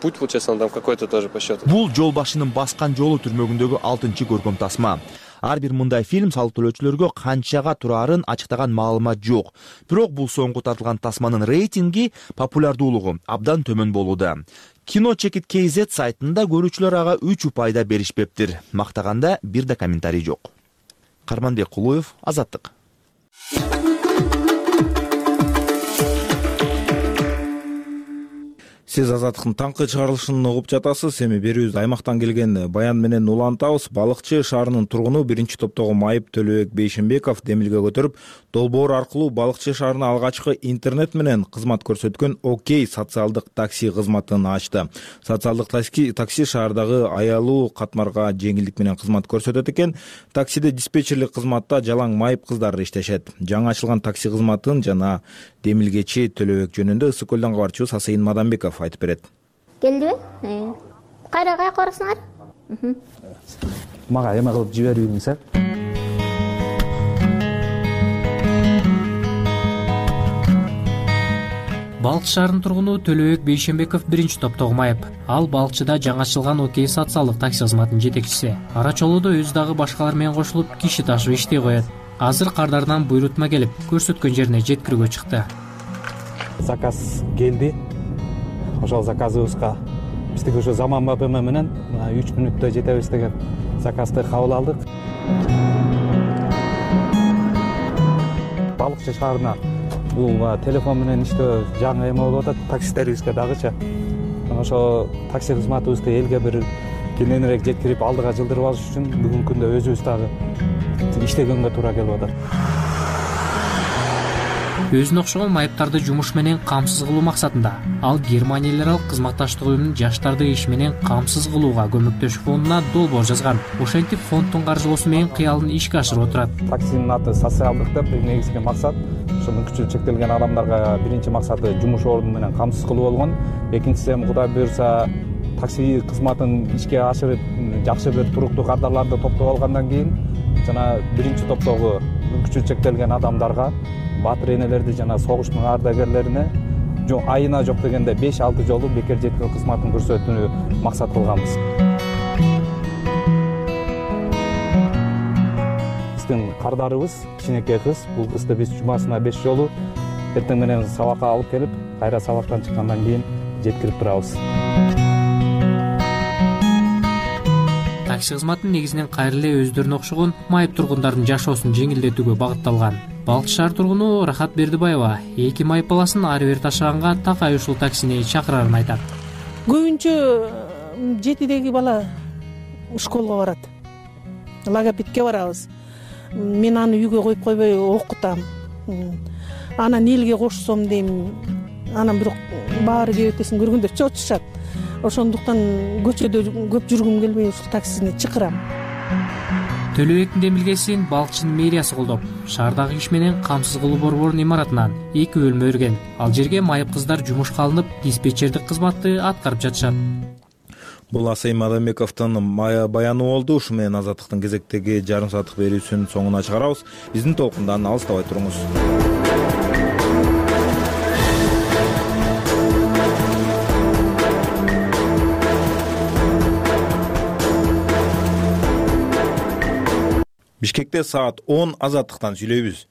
путь, получается, он там какой-то тоже по счету. Бул жол башынын баскан жолу түрмөгүндөгү 6-чы көркөм тасма. Ар бир мындай фильм салык төлөөчүлөргө канчага турарын ачыктаган маалымат жок. Бирок бул соңку тартылган тасманын рейтинги, популярдуулугу абдан төмөн болууда. Киночекит KZ сайтында көрүүчүлөр ага 3 упайда беришпептир. Мактаганда бир да комментарий жок. Карманбек Кулуев, Азаттык. Сиз Азаттыктын таңкы чыгарылышын угуп жатасыз. Эми берүүбүз аймактан келген баян менен улантабыз. Балыкчы шаарынын тургуну 1-топтогу Майып Төлөбек Бейшенбеков демилге көтөрүп, долбоор аркылуу Балыкчы шаарына алгачкы интернет менен кызмат көрсөткөн Окей социалдык такси кызматын ачты. Социалдык такси шаардагы аялуу катмарга жеңилдик менен кызмат көрсөтөт экен. Таксиде диспетчерлик кызматта жалаң майып кыздар иштешет. Жаңы ачылган такси кызматын жана демилгечи Төлөбек жөнүндө Ысык көлдөн кабарчыбыз Асайын Мадамбеков айтып берет. Келдиби? Кайра барасыңар? Мага эме кылып жибербеңиз. Балыкчы шаарынын тургуну Төлөбек Бейшенбеков 1-топтогу Майып. Ал Балыкчыда жаңы ачылган Окей социалдык такси кызматынын жетекчиси. Ара чолууда өзү дагы башкалар менен кошулуп киши ташып иштей коет. Азыр кардардан буйрутма келип, көрсөткөн жерине жеткирүүгө чыкты. Заказ келди. Ошол заказыбызга биздики ошо заманбап эме менен 3 мүнөттө жетебиз деген заказды кабыл алдык. Балыкчы шаарына бул телефон менен иштөө жаңы эме болуп атат таксистерибизге дагычы. Ошо такси кызматыбызды элге бир кененирээк жеткирип алдыга жылдырып алыш үчүн бүгүнкү күндө өзүбүз дагы иштегенге туура келип атат. Өзүнө окшогон майыптарды жумуш менен камсыз кылуу максатында ал Германия эл аралык кызматташтык уюмунун жаштарды иш менен камсыз кылууга көмөктөшүү фондуна долбоор жазган. Ошентип фонддун каржылоосу менен кыялын ишке ашырып отурат. Таксинин аты социалдык деп, негизги максат ошо мүмкүнчүлүгү чектелген адамдарга биринчи максаты жумуш орду менен камсыз кылуу болгон. Экинчиси эми Кудай буюрса такси кызматын ишке ашырып жакшы бир туруктуу кардарларды топтоп алгандан кийин жана 1-топтогу мүмкүнчүлүгү чектелген адамдарга, батыр энелерди жана согуштун ардагерлерине айына жок дегенде 5-6 жолу бекер жеткирүү кызматын көрсөтүүнү максат кылганбыз. Биздин кардарыбыз кичинекей кыз, бул кызды биз жумасына 5 жолу эртең менен сабакка алып келип, кайра сабактан чыккандан кийин жеткирип турабыз. Такси кызматын негизинен кайра эле өздөрүнө окшогон майып тургундардын жашоосун жеңилдетүүгө багытталган. Балыкчы шаар тургуну Рахат Бердибаева 2 майып баласын ары бери ташыганга такай ушул таксини чакырарын айтат. Көбүнчө 7деги бала школго барат. Логопедке барабыз. Мен аны үйгө коюп койбой окутам. Анан элге кошсом дейм, анан бирок баары кебетесин көргөндө чочушат. Ошондуктан көчөдө көп жүргүм келбей ушул таксини чакырам. Төлөбектин демилгесин балыкчынын мэриясы колдоп, шаардагы иш менен камсыз кылуу борборунун имаратынан 2 бөлмө берген. Ал жерге майып кыздар жумушка алынып, диспетчердик кызматты аткарып жатышат. Бул Асайым Адамбековдун баяны болду. Ушу менен Азаттыктын кезектеги жарым сааттык берүүсүнүн соңуна чыгарабыз. Биздин толкундан алыстабай туруңуз. Бишкекте саат 10 Азаттыктан сүйлөйбүз.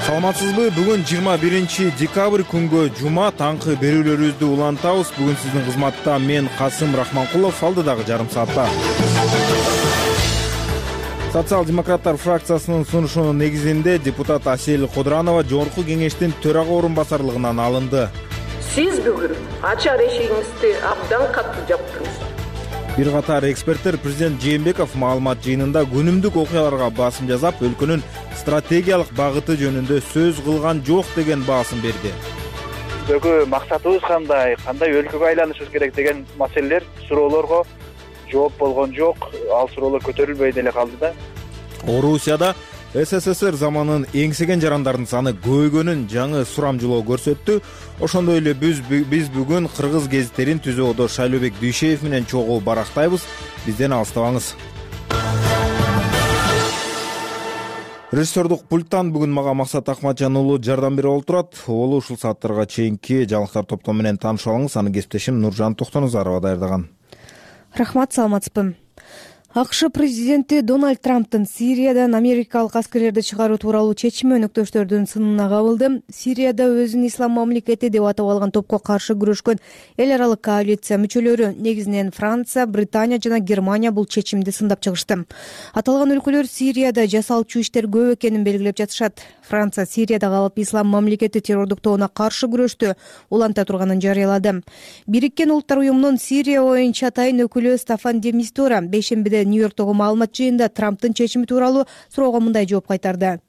Саламатсызбы? Бүгүн 21 декабрь күнгө жума таңкы берүүлөрүбүздү улантабыз. Бүгүн сиздин кызматта мен Касым Рахманкулов, алдыдагы жарым саатта. Социал-демократтар фракциясынын сунушунун негизинде депутат Асель Кодранова жогорку кеңештин төрага орун басарлыгынан алынды. Сиз бүгүн ачар эшигиңизди абдан катуу жаптыңыз. Бир катар эксперттер президент Жээнбеков маалымат жыйынында күнүмдүк окуяларга басым жасап, өлкөнүн стратегиялык багыты жөнүндө сөз кылган жок деген баасым берди. Бүгүнкү максатыбыз кандай өлкөгө айланышыбыз керек деген маселелер, суроолорго жооп болгон жок. Ал суроолор көтөрүлбөй деле калды да. Орусияда СССР заманын эңсеген жарандардын саны көбөйгөнүн жаңы сурамжылоо көрсөттү. Ошондой эле биз бүгүн кыргыз гезиттерин түзүүдө Шайлообек Дүйшеев менен чогуу барактайбыз. Бизден алыстабаңыз. Режиссердук пульттан бүгүн мага Максат Акматжан уулу жардам берип олтурат. Уулу ушул сааттарга чейинки жаңылыктар топтому менен таанышып алыңыз. Аны кесиптешим Нуржан Токтонузарова даярдаган. Рахмат, саламатсызбы. АКШ президенти Дональд Трамптын Сириядан америкалык аскерлерди чыгаруу тууралуу чечими өнөктөштөрдүн сынына кабылды. Сирияда өзүн ислам мамлекети деп атап алган топко каршы күрөшкөн эл аралык коалиция мүчөлөрү, негизинен Франция, Британия жана Германия бул чечимди сындап чыгышты. Аталган өлкөлөр Сирияда жасалчу иштер көп экенин белгилеп жатышат. Франция Сирияда калып ислам мамлекети террордук тобуна каршы күрөштү уланта турганын жарыялады. Бириккен Улуттар уюмунун Сирия боюнча атайын өкүлү Стаффан де Мистура бейшембиде Нью-Йорктогу маалымат жыйында Трамптын чечими тууралуу суроого мындай жооп кайтарды.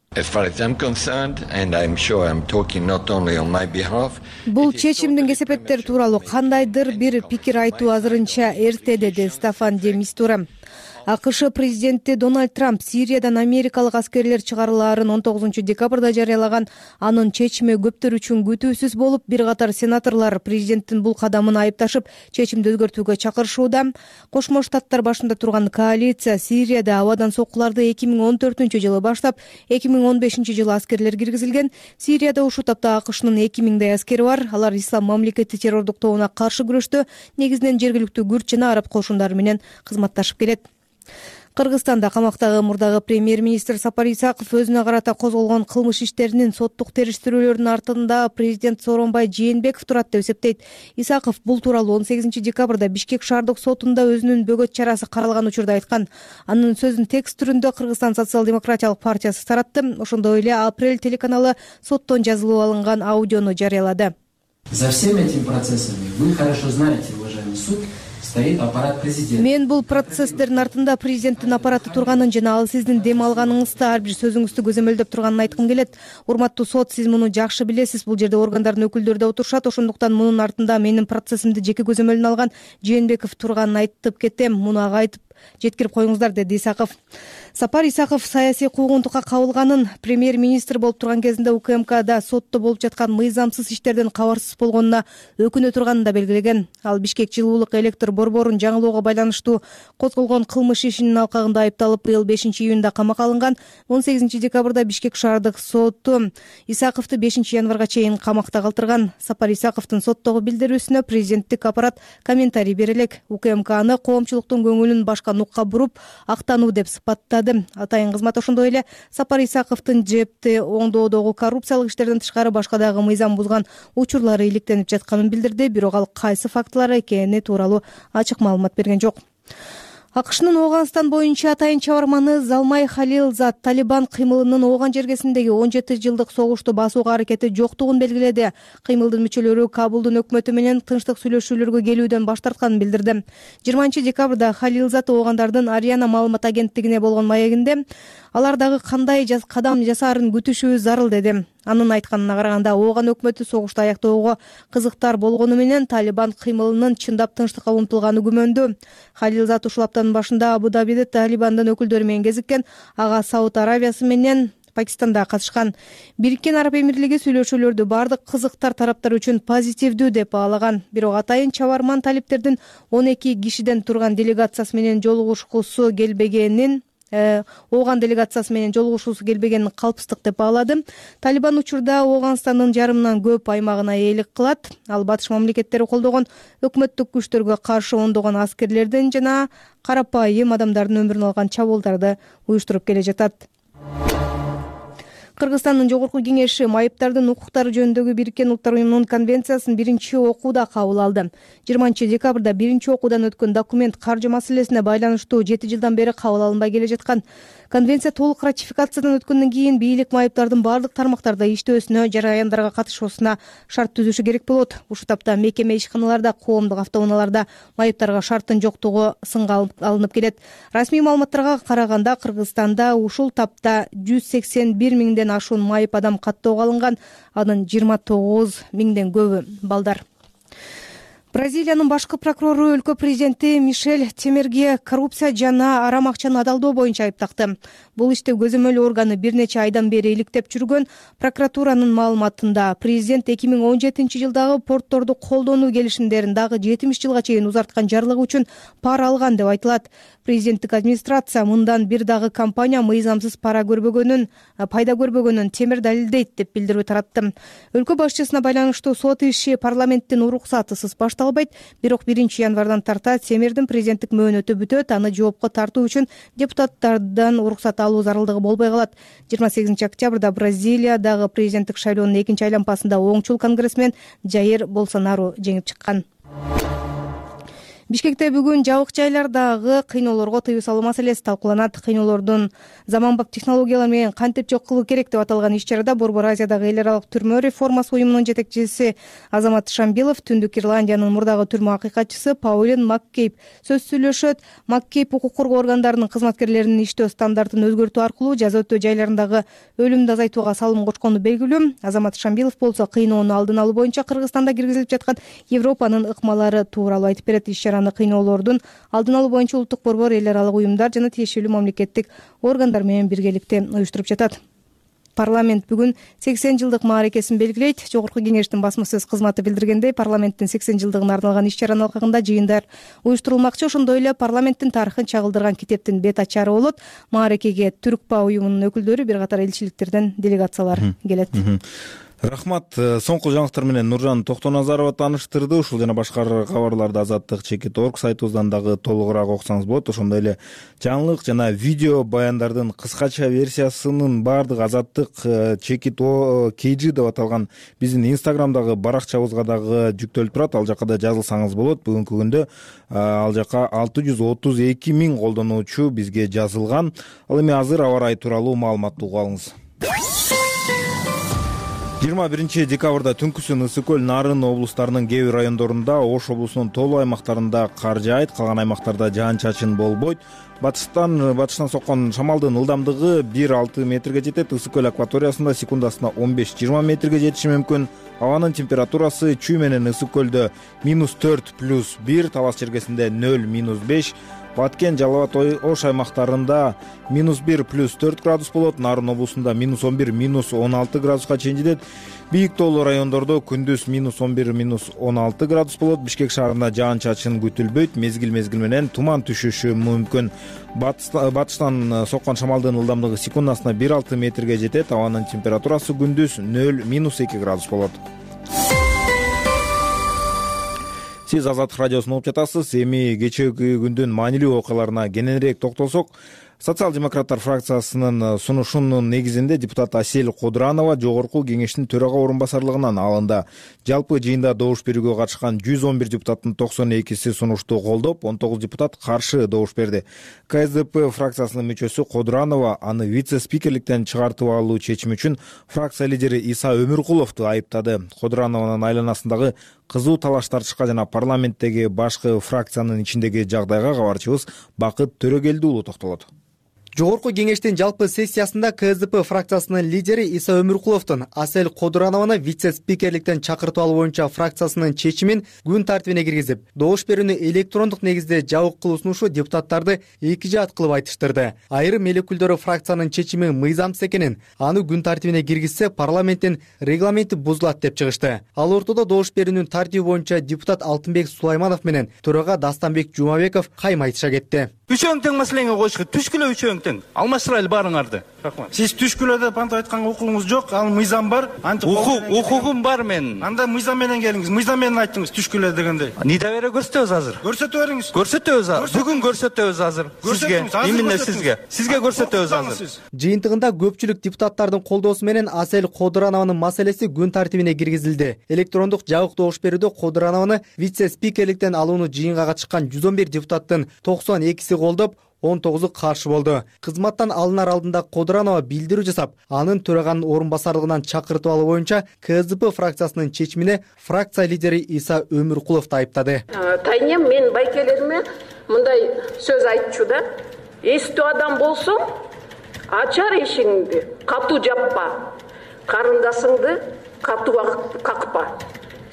Бул чечимдин кесепеттери тууралуу кандайдыр бир пикир айтуу азырынча эрте, деди Стаффан де Мистура. АКШ президенти Дональд Трамп Сириядан америкалык аскерлер чыгарылаарын 19 декабрда жарыялаган. Анын чечими көптөр үчүн күтүүсүз болуп, бир катар сенаторлор президенттин бул кадамын айыпташып, чечимди өзгөртүүгө чакырышууда. Кошмо Штаттар башында турган коалиция Сирияда абадан соккуларды 2014-жылы баштап, 2015-жылы аскерлер киргизилген. Сирияда ушул тапта АКШнын 2000 аскери бар. Алар ислам мамлекети террордук тобуна каршы күрөштө негизинен жергиликтүү күрд жана араб кошундары менен кызматташып келет. Кыргызстанда камактагы мурдагы премьер-министр Сапар Исаков өзүнө карата козголгон кылмыш иштеринин соттук териштирүүлөрүнүн артында президент Сооронбай Жээнбеков турат деп эсептейт. Исаков бул тууралуу 18 декабрда Бишкек шаардык сотунда өзүнүн бөгөт чарасы каралган учурда айткан. Анын сөзүн текст түрүндө Кыргызстан социал-демократиялык партиясы таратты. Ошондой эле Апрель телеканалы соттон жазылып алынган аудиону жарыялады. За всеми этими процессами вы хорошо знаете, уважаемый суд, стоит аппарат президента. Мен бул процесстердин артында президенттин аппараты турганын жана ал сиздин дем алганыңызды, ар бир сөзүңүздү көзөмөлдөп турганын айткым келет. Урматтуу сот, сиз муну жакшы билесиз. Бул жерде органдардын өкүлдөрү да отурушат. Ошондуктан мунун артында менин процессимди жеке көзөмөлүнө алган Жээнбеков турганын айтып кетем. Муну ага айтып жеткирип коюңуздар, деди Исаков. Сапар Исаков саясий куугунтукка кабылганын, премьер-министр болуп турган кезинде УКМКда сотто болуп жаткан мыйзамсыз иштерден кабарсыз болгонуна өкүнө турганын да белгилеген. Ал Бишкек жылуулук электр борборун жаңылоого байланыштуу козголгон кылмыш ишинин алкагында айыпталып, быйыл 5-июнда камакка алынган. 18 декабрда Бишкек шаардык соту Исаковду 5 январга чейин камакта калтырган. Сапар Исаковдун соттогу билдирүүсүнө президенттик аппарат комментарий бере элек. УКМК аны коомчулуктун көңүлүн башка нукка буруп, актануу деп сыпаттады. Атайын кызмат ошондой эле Сапар Исаковдун жепти оңдоодогу коррупциялык иштерден тышкары башка дагы мыйзам бузган учурлары иликтенип жатканын билдирди. Бирок ал кайсы фактылар экени тууралуу ачык маалымат берген жок. АКШнын Ооганстан боюнча атайын чабарманы Залмай Халилзад Талибан кыймылынын Ооган жергесиндеги 17 жылдык согушту басууга аракети жоктугун белгиледи. Кыймылдын мүчөлөрү Кабулдун өкмөтү менен тынчтык сүйлөшүүлөргө келүүдөн баш тартканын билдирди. 20 декабрда Халилзад Оогандардын Ариана маалымат агенттигине болгон маегинде алар дагы кандай кадам жасаарын күтүшүбүз зарыл деди. Анын айтканына караганда, Ооган өкмөтү согушту аяктоого кызыктар болгону менен Талибан кыймылынын чындап тынчтыкка умтулганы күмөндүү. Халилзад ушул аптанын башында Абу-Дабиде Талибандын өкүлдөрү менен кезиккен, ага Сауд Арабиясы менен Пакистанда катышкан. Бириккен Араб Эмирлиги сүйлөшүүлөрдү бардык кызыктар тараптар үчүн позитивдүү деп баалаган. Бирок атайын чабарман талиптердин 12 кишиден турган делегациясы менен жолугушкусу келбегенин Ооган делегациясы менен жолугушуусу келбегенин калпстык деп баалады. Талибан учурда Ооганстандын жарымынан көп аймагына ээлик кылат. Ал батыш мамлекеттери колдогон өкмөттүк күчтөргө каршы ондогон аскерлердин жана карапайым адамдардын өмүрүн алган чабуулдарды уюштуруп келе жатат. Кыргызстандын Жогорку Кеңеши майыптардын укуктары жөнүндөгү Бириккен Улуттар Уюмунун конвенциясын биринчи окууда кабыл алды. 20 декабрда биринчи окуудан өткөн документ каржы маселесине байланыштуу 7 жылдан бери кабыл алынбай келе жаткан. Конвенция толук ратификациядан өткөндөн кийин бийлик майыптардын бардык тармактарда иштөөсүнө, жараяндарга катышуусуна шарт түзүшү керек болот. Ушул тапта мекеме ишканаларда, коомдук автоунааларда майыптарга шарттын жоктугу сынга алынып келет. Расмий маалыматтарга караганда, Кыргызстанда ушул тапта 181 миңден ашуун майып адам каттоого алынган, анын 29 миңден көбү балдар. Бразилиянын башкы прокурору өлкө президенти Мишель Темерге коррупция жана арам акчаны адалдоо боюнча айыптакты. Бул иште көзөмөл органы бир нече айдан бери иликтеп жүргөн. Прокуратуранын маалыматында президент 2017 жылдагы портторду колдонуу келишимдерин дагы 70 жылга чейин узарткан жарлыгы үчүн пара алган деп айтылат. Президенттик администрация мындан бир дагы компания мыйзамсыз пайда көрбөгөнүн темир далилдейт деп билдирүү таратты. Өлкө башчысына байланыштуу сот иши парламенттин уруксатысыз башталбайт, бирок 1 январдан тарта Темирдин президенттик мөөнөтү бүтөт, аны жоопко тартуу үчүн депутаттардан уруксат алуу зарылдыгы болбой калат. 28 октябрда Бразилиядагы президенттик шайлоонун экинчи айланпасында оңчул конгрессмен Жаир Болсонару жеңип чыккан. Бишкекте бүгүн жабык жайлардагы кыйноолорго тыюу салуу маселеси талкууланат. Кыйноолордун заманбап технологиялар менен кантип жок кылуу керек деп аталган иш-чарада Борбор Азиядагы эл аралык түрмө реформасы уюмунун жетекчиси Азамат Шамбилов, Түндүк Ирландиянын мурдагы түрмө акыйкатчысы Паулин Маккейп сөз сүйлөшөт. Маккейп укук коргоо органдарынын кызматкерлеринин иштөө стандартын өзгөртүү аркылуу жаза өтөө жайларындагы өлүмдү азайтууга салым кочкону белгилүү. Азамат Шамбилов болсо кыйноону алдын алуу боюнча Кыргызстанда киргизилип жаткан Европанын ыкмалары тууралуу айтып берет. Кыйноолордун алдын алуу боюнча улуттук борбор, эл аралык уюмдар жана тиешелүү мамлекеттик органдар менен биргеликте уюштуруп жатат. Парламент бүгүн 80 жылдык мааракесин белгилейт. Жогорку Кеңештин басма сөз кызматы билдиргендей, парламенттин 80 жылдыгына арналган иш-чаранын алкагында жыйындар уюштурулмакчы. Ошондой эле парламенттин тарыхын чагылдырган китептин бет ачары болот. Мааракеге Түркпа уюмунун өкүлдөрү, бир катар элчиликтерден делегациялар келет. Рахмат. Соңку жаңылыктар менен Нуржан Токтоназарова тааныштырды. Ушул жана башка кабарларды Азаттык.org сайтыбыздан дагы толугураак окусаңыз болот. Ошондой эле жаңылык жана видео баяндардын кыскача версиясынын баардык Азаттык.kg деп аталган биздин Инстаграмдагы баракчабызга дагы жүктөлүп турат. Ал жака да жазылсаңыз болот. Бүгүнкү күндө ал жака 632 миң колдонуучу бизге жазылган. Ал эми азыр аба ырайы тууралуу маалыматты угуп алыңыз. 21 декабрда түнкүсүн Ысык көл, Нарын облустарынын кээ бир райондорунда, Ош облусунун толуу аймактарында кар жаайт, калган аймактарда жаан-чачын болбойт. Батыштан соккон шамалдын ылдамдыгы 1-6 метрге жетет. Ысык көл акваториясында секундасына 15-20 метрге жетиши мүмкүн. Абанын температурасы Чүй менен Ысык көлдө -4+1, Талас чергесинде 0-5, Баткен, Жалал Абад, Ош аймактарында -1+4 градус болот. Нарын облусунда -11, -16 градуска чейин жетет. Бийик тоолуу райондордо күндүз -11, -16 градус болот. Бишкек шаарында жаан-чачын күтүлбөйт. Мезгил менен туман түшүшү мүмкүн. Батыштан соккон шамалдын ылдамдыгы секундасына 1-6 метрге жетет. Абанын температурасы күндүз 0-2 градус болот. Сиз Азаттык радиосун угуп жатасыз. Эми кечээги күндүн маанилүү окуяларына кененирээк токтолсок, Социал-демократтар фракциясынын сунушунун негизинде депутат Асель Кодуранова жогорку кеңештин төрага орун басарлыгынан алынды. Жалпы жыйында добуш берүүгө катышкан 111 депутаттын 92си сунушту колдоп, 19 депутат каршы добуш берди. КСДП фракциясынын мүчөсү Кодуранова аны вице-спикерликтен чыгартып алуу чечими үчүн фракция лидери Иса Өмүркуловду айыптады. Кодуранованын айланасындагы кызуу талаш тартышка жана парламенттеги башкы фракциянын ичиндеги жагдайга кабарчыбыз Бакыт Төрөгелдиулу токтолот. Жогорку кеңештин жалпы сессиясында КСДП фракциясынын лидери Иса Өмүркуловдун Асель Кодуранованы вице-спикерликтен чакыртып алуу боюнча фракциясынын чечимин күн тартибине киргизип, добуш берүүнү электрондук негизде жабык кылуу сунушу депутаттарды эки жаат кылып айтыштырды. Айрым эл өкүлдөрү фракциянын чечими мыйзамсыз экенин, аны күн тартибине киргизсе парламенттин регламенти бузулат деп чыгышты. Ал ортодо добуш берүүнүн тартиби боюнча депутат Алтынбек Сулайманов менен төрага Дастанбек Жумабеков кайма айтыша кетти. Үчөөң тең маселеңе коюшка түшкүлө үчөөң тең. Алмаштырайлы баарыңарды. Сиз түшкүлө деп антип айтканга укугуңуз жок, ал мыйзам бар. Укугум бар менин. Анда мыйзам менен келиңиз. Мыйзам менен айттыңыз түшкүлө дегенде. Недоверие көрсөтөбүз азыр. Көрсөтө бериңиз. Көрсөтөбүз азыр. Бүгүн көрсөтөбүз азыр. Сизге, именно сизге. Сизге көрсөтөбүз азыр. Жыйынтыгында көпчүлүк депутаттардын колдоосу менен Асель Кодуранованын маселеси күн тартибине киргизилди. Электрондук жабык добуш берүүдө Кодуранованы вице-спикерликтен алууну жыйынга катышкан 111 депутаттын 92си колдоп, 19 каршы болду. Кызматтан алынар алдында Кодуранова билдирүү жасап, анын төраганын орун басарлыгынан чакыртып алуу боюнча КСДП фракциясынын чечимине фракция лидери Иса Өмүркуловду айыптады. Тайнем мен байкелериме мындай сөз айтчу да. Эстүү адам болсоң, ачар эшигиңди, катуу жаппа. Карындашыңды катуу какпа.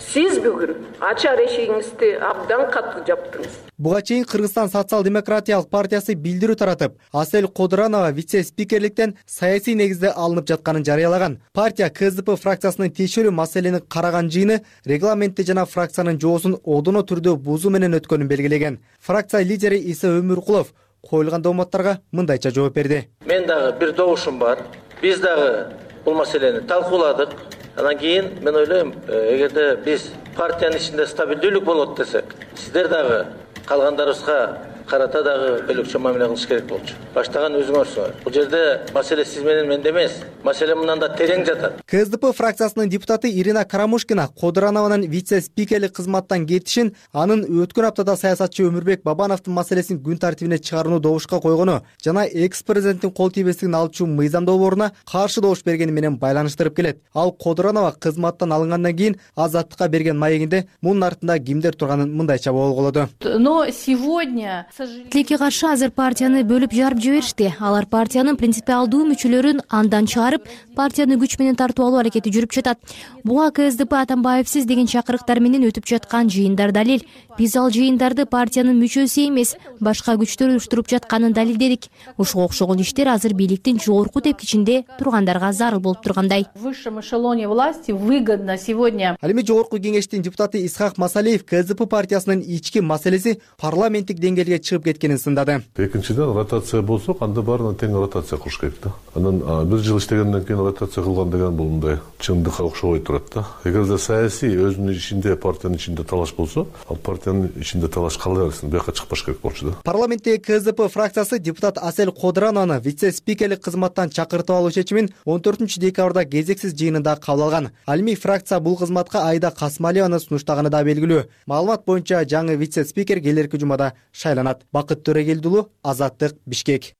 Сиз бүгүн ачар эшигиңизди абдан катуу жаптыңыз. Буга чейин Кыргызстан социал-демократиялык партиясы билдирүү таратып, Асель Кодуранова вице-спикерликтен саясий негизде алынып жатканын жарыялаган. Партия КСДП фракциясынын тиешелүү маселени караган жыйыны регламентти жана фракциянын жоосун одоно түрдө бузуу менен өткөнүн белгилеген. Фракция лидери Иса Өмүркулов коюлган дооматтарга мындайча жооп берди. Мен дагы бир добушум бар. Биз дагы бул маселени талкууладык. Анан кийин мен ойлойм, эгерде биз партиянын ичинде стабилдүүлүк болот десек, сиздер дагы калгандарыбызга карата дагы бөлөкчө мамиле кылыш керек болчу. Баштаган өзүңөрсүңөр. Бул жерде маселе сиз менен менде эмес. Маселе мындан да терең жатат. КСДП фракциясынын депутаты Ирина Карамушкина Кодуранованын вице-спикерлик кызматтан кетишин, анын өткөн аптада саясатчы Өмүрбек Бабановдун маселесин күн тартибине чыгарууну добушка койгону жана экс-президенттин кол тийбестигин алчу мыйзам долбооруна каршы добуш бергени менен байланыштырып келет. Ал Кодуранова кызматтан алынгандан кийин Азаттыкка берген маегинде мунун артында кимдер турганын мындайча болголоду. Но сегодня тилекке каршы азыр партияны бөлүп жарып жиберишти. Алар партиянын принципиалдуу мүчөлөрүн андан чыгарып, партияны күч менен тартып алуу аракети жүрүп жатат. Буга КСДП Атамбаевсиз деген чакырыктар менен өтүп жаткан жыйындар далил. Биз ал жыйындарды партиянын мүчөсү эмес, башка күчтөр уюштуруп жатканын далилдедик. Ушуга окшогон иштер азыр бийликтин жогорку тепкичинде тургандарга зарыл болуп тургандай. В высшем эшелоне власти выгодно сегодня. Ал эми жогорку кеңештин депутаты Исхак Масалиев КСДП партиясынын ички маселеси парламенттик деңгээлге чыгып кеткенин сындады. Экинчиден ротация болсо, анда баарына тең ротация кылыш керек да. Анан бир жыл иштегенден кийин ротация кылган деген бул мындай чындыкка окшобой турат да. Эгерде саясий өзүнүн ичинде, партиянын ичинде талаш болсо, ал партиянын ичинде талаш кала берсин, бияка чыкпаш керек болчу да. Парламенттеги КСДП фракциясы депутат Асель Кодуранованы вице-спикерлик кызматтан чакыртып алуу чечимин 14-декабрда кезексиз жыйынында кабыл алган. Ал эми фракция бул кызматка Айда Касмалиеваны сунуштаганы да белгилүү. Маалымат боюнча жаңы вице-спикер келерки жумада шайланат. Бакыт Төрөгелдиулу, Азаттык, Бишкек.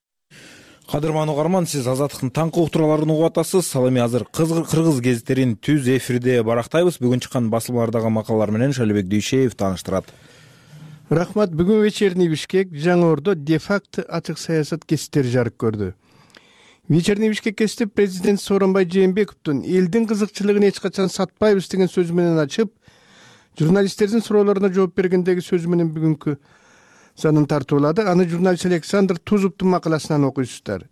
Кадырман угарман, сиз Азаттыктын таңкы уктурууларын угуп атасыз. Ал эми азыр кыргыз гезиттерин түз эфирде барактайбыз. Бүгүн чыккан басылмалардагы макалалар менен Шалибек Дүйшеев тааныштырат. Рахмат. Бүгүн вечерний Бишкек Жаңы Ордо де-факто ачык саясат кесиптери жарык көрдү. Вечерний Бишкек кесип президент Сооронбай Жээнбековдун элдин кызыкчылыгын эч качан сатпайбыз деген сөзү менен ачып, журналисттердин суроолоруна жооп бергендеги сөзү менен бүгүнкү санын тартуулады. Аны журналист Александр Тузуптун макаласынан окуйсуздар.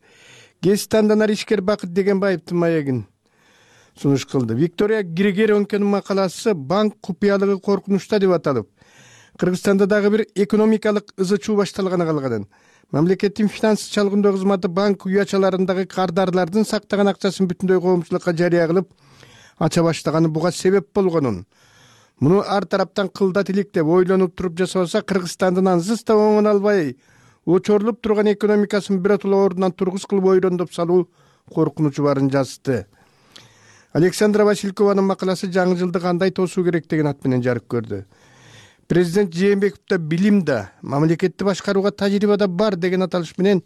Гезит андан ишкер Бакыт Дегенбаевдин маегин сунуш кылды. Виктория Григоренконун макаласы банк купуялыгы коркунучта деп аталып, Кыргызстанда дагы бир экономикалык ызы-чуу башталганы калган. Мамлекеттин финанс чалгындоо кызматы банк уячаларындагы кардарлардын сактаган акчасын бүтүндөй коомчулукка жарыя кылып ача баштаганы буга себеп болгонун, муну ар тараптан кылдат илик деп ойлонуп туруп жасабаса, Кыргызстандын ансыз да оңоно албай очорулуп турган экономикасын биротоло ордунан тургуз кылып ойрондоп салуу коркунучу барын жазды. Александра Василькованын макаласы жаңы жылды кандай тосуу керек деген ат менен жарык көрдү. Президент Жээнбеков да билим да, мамлекетти башкарууга тажрыйба да бар деген аталыш менен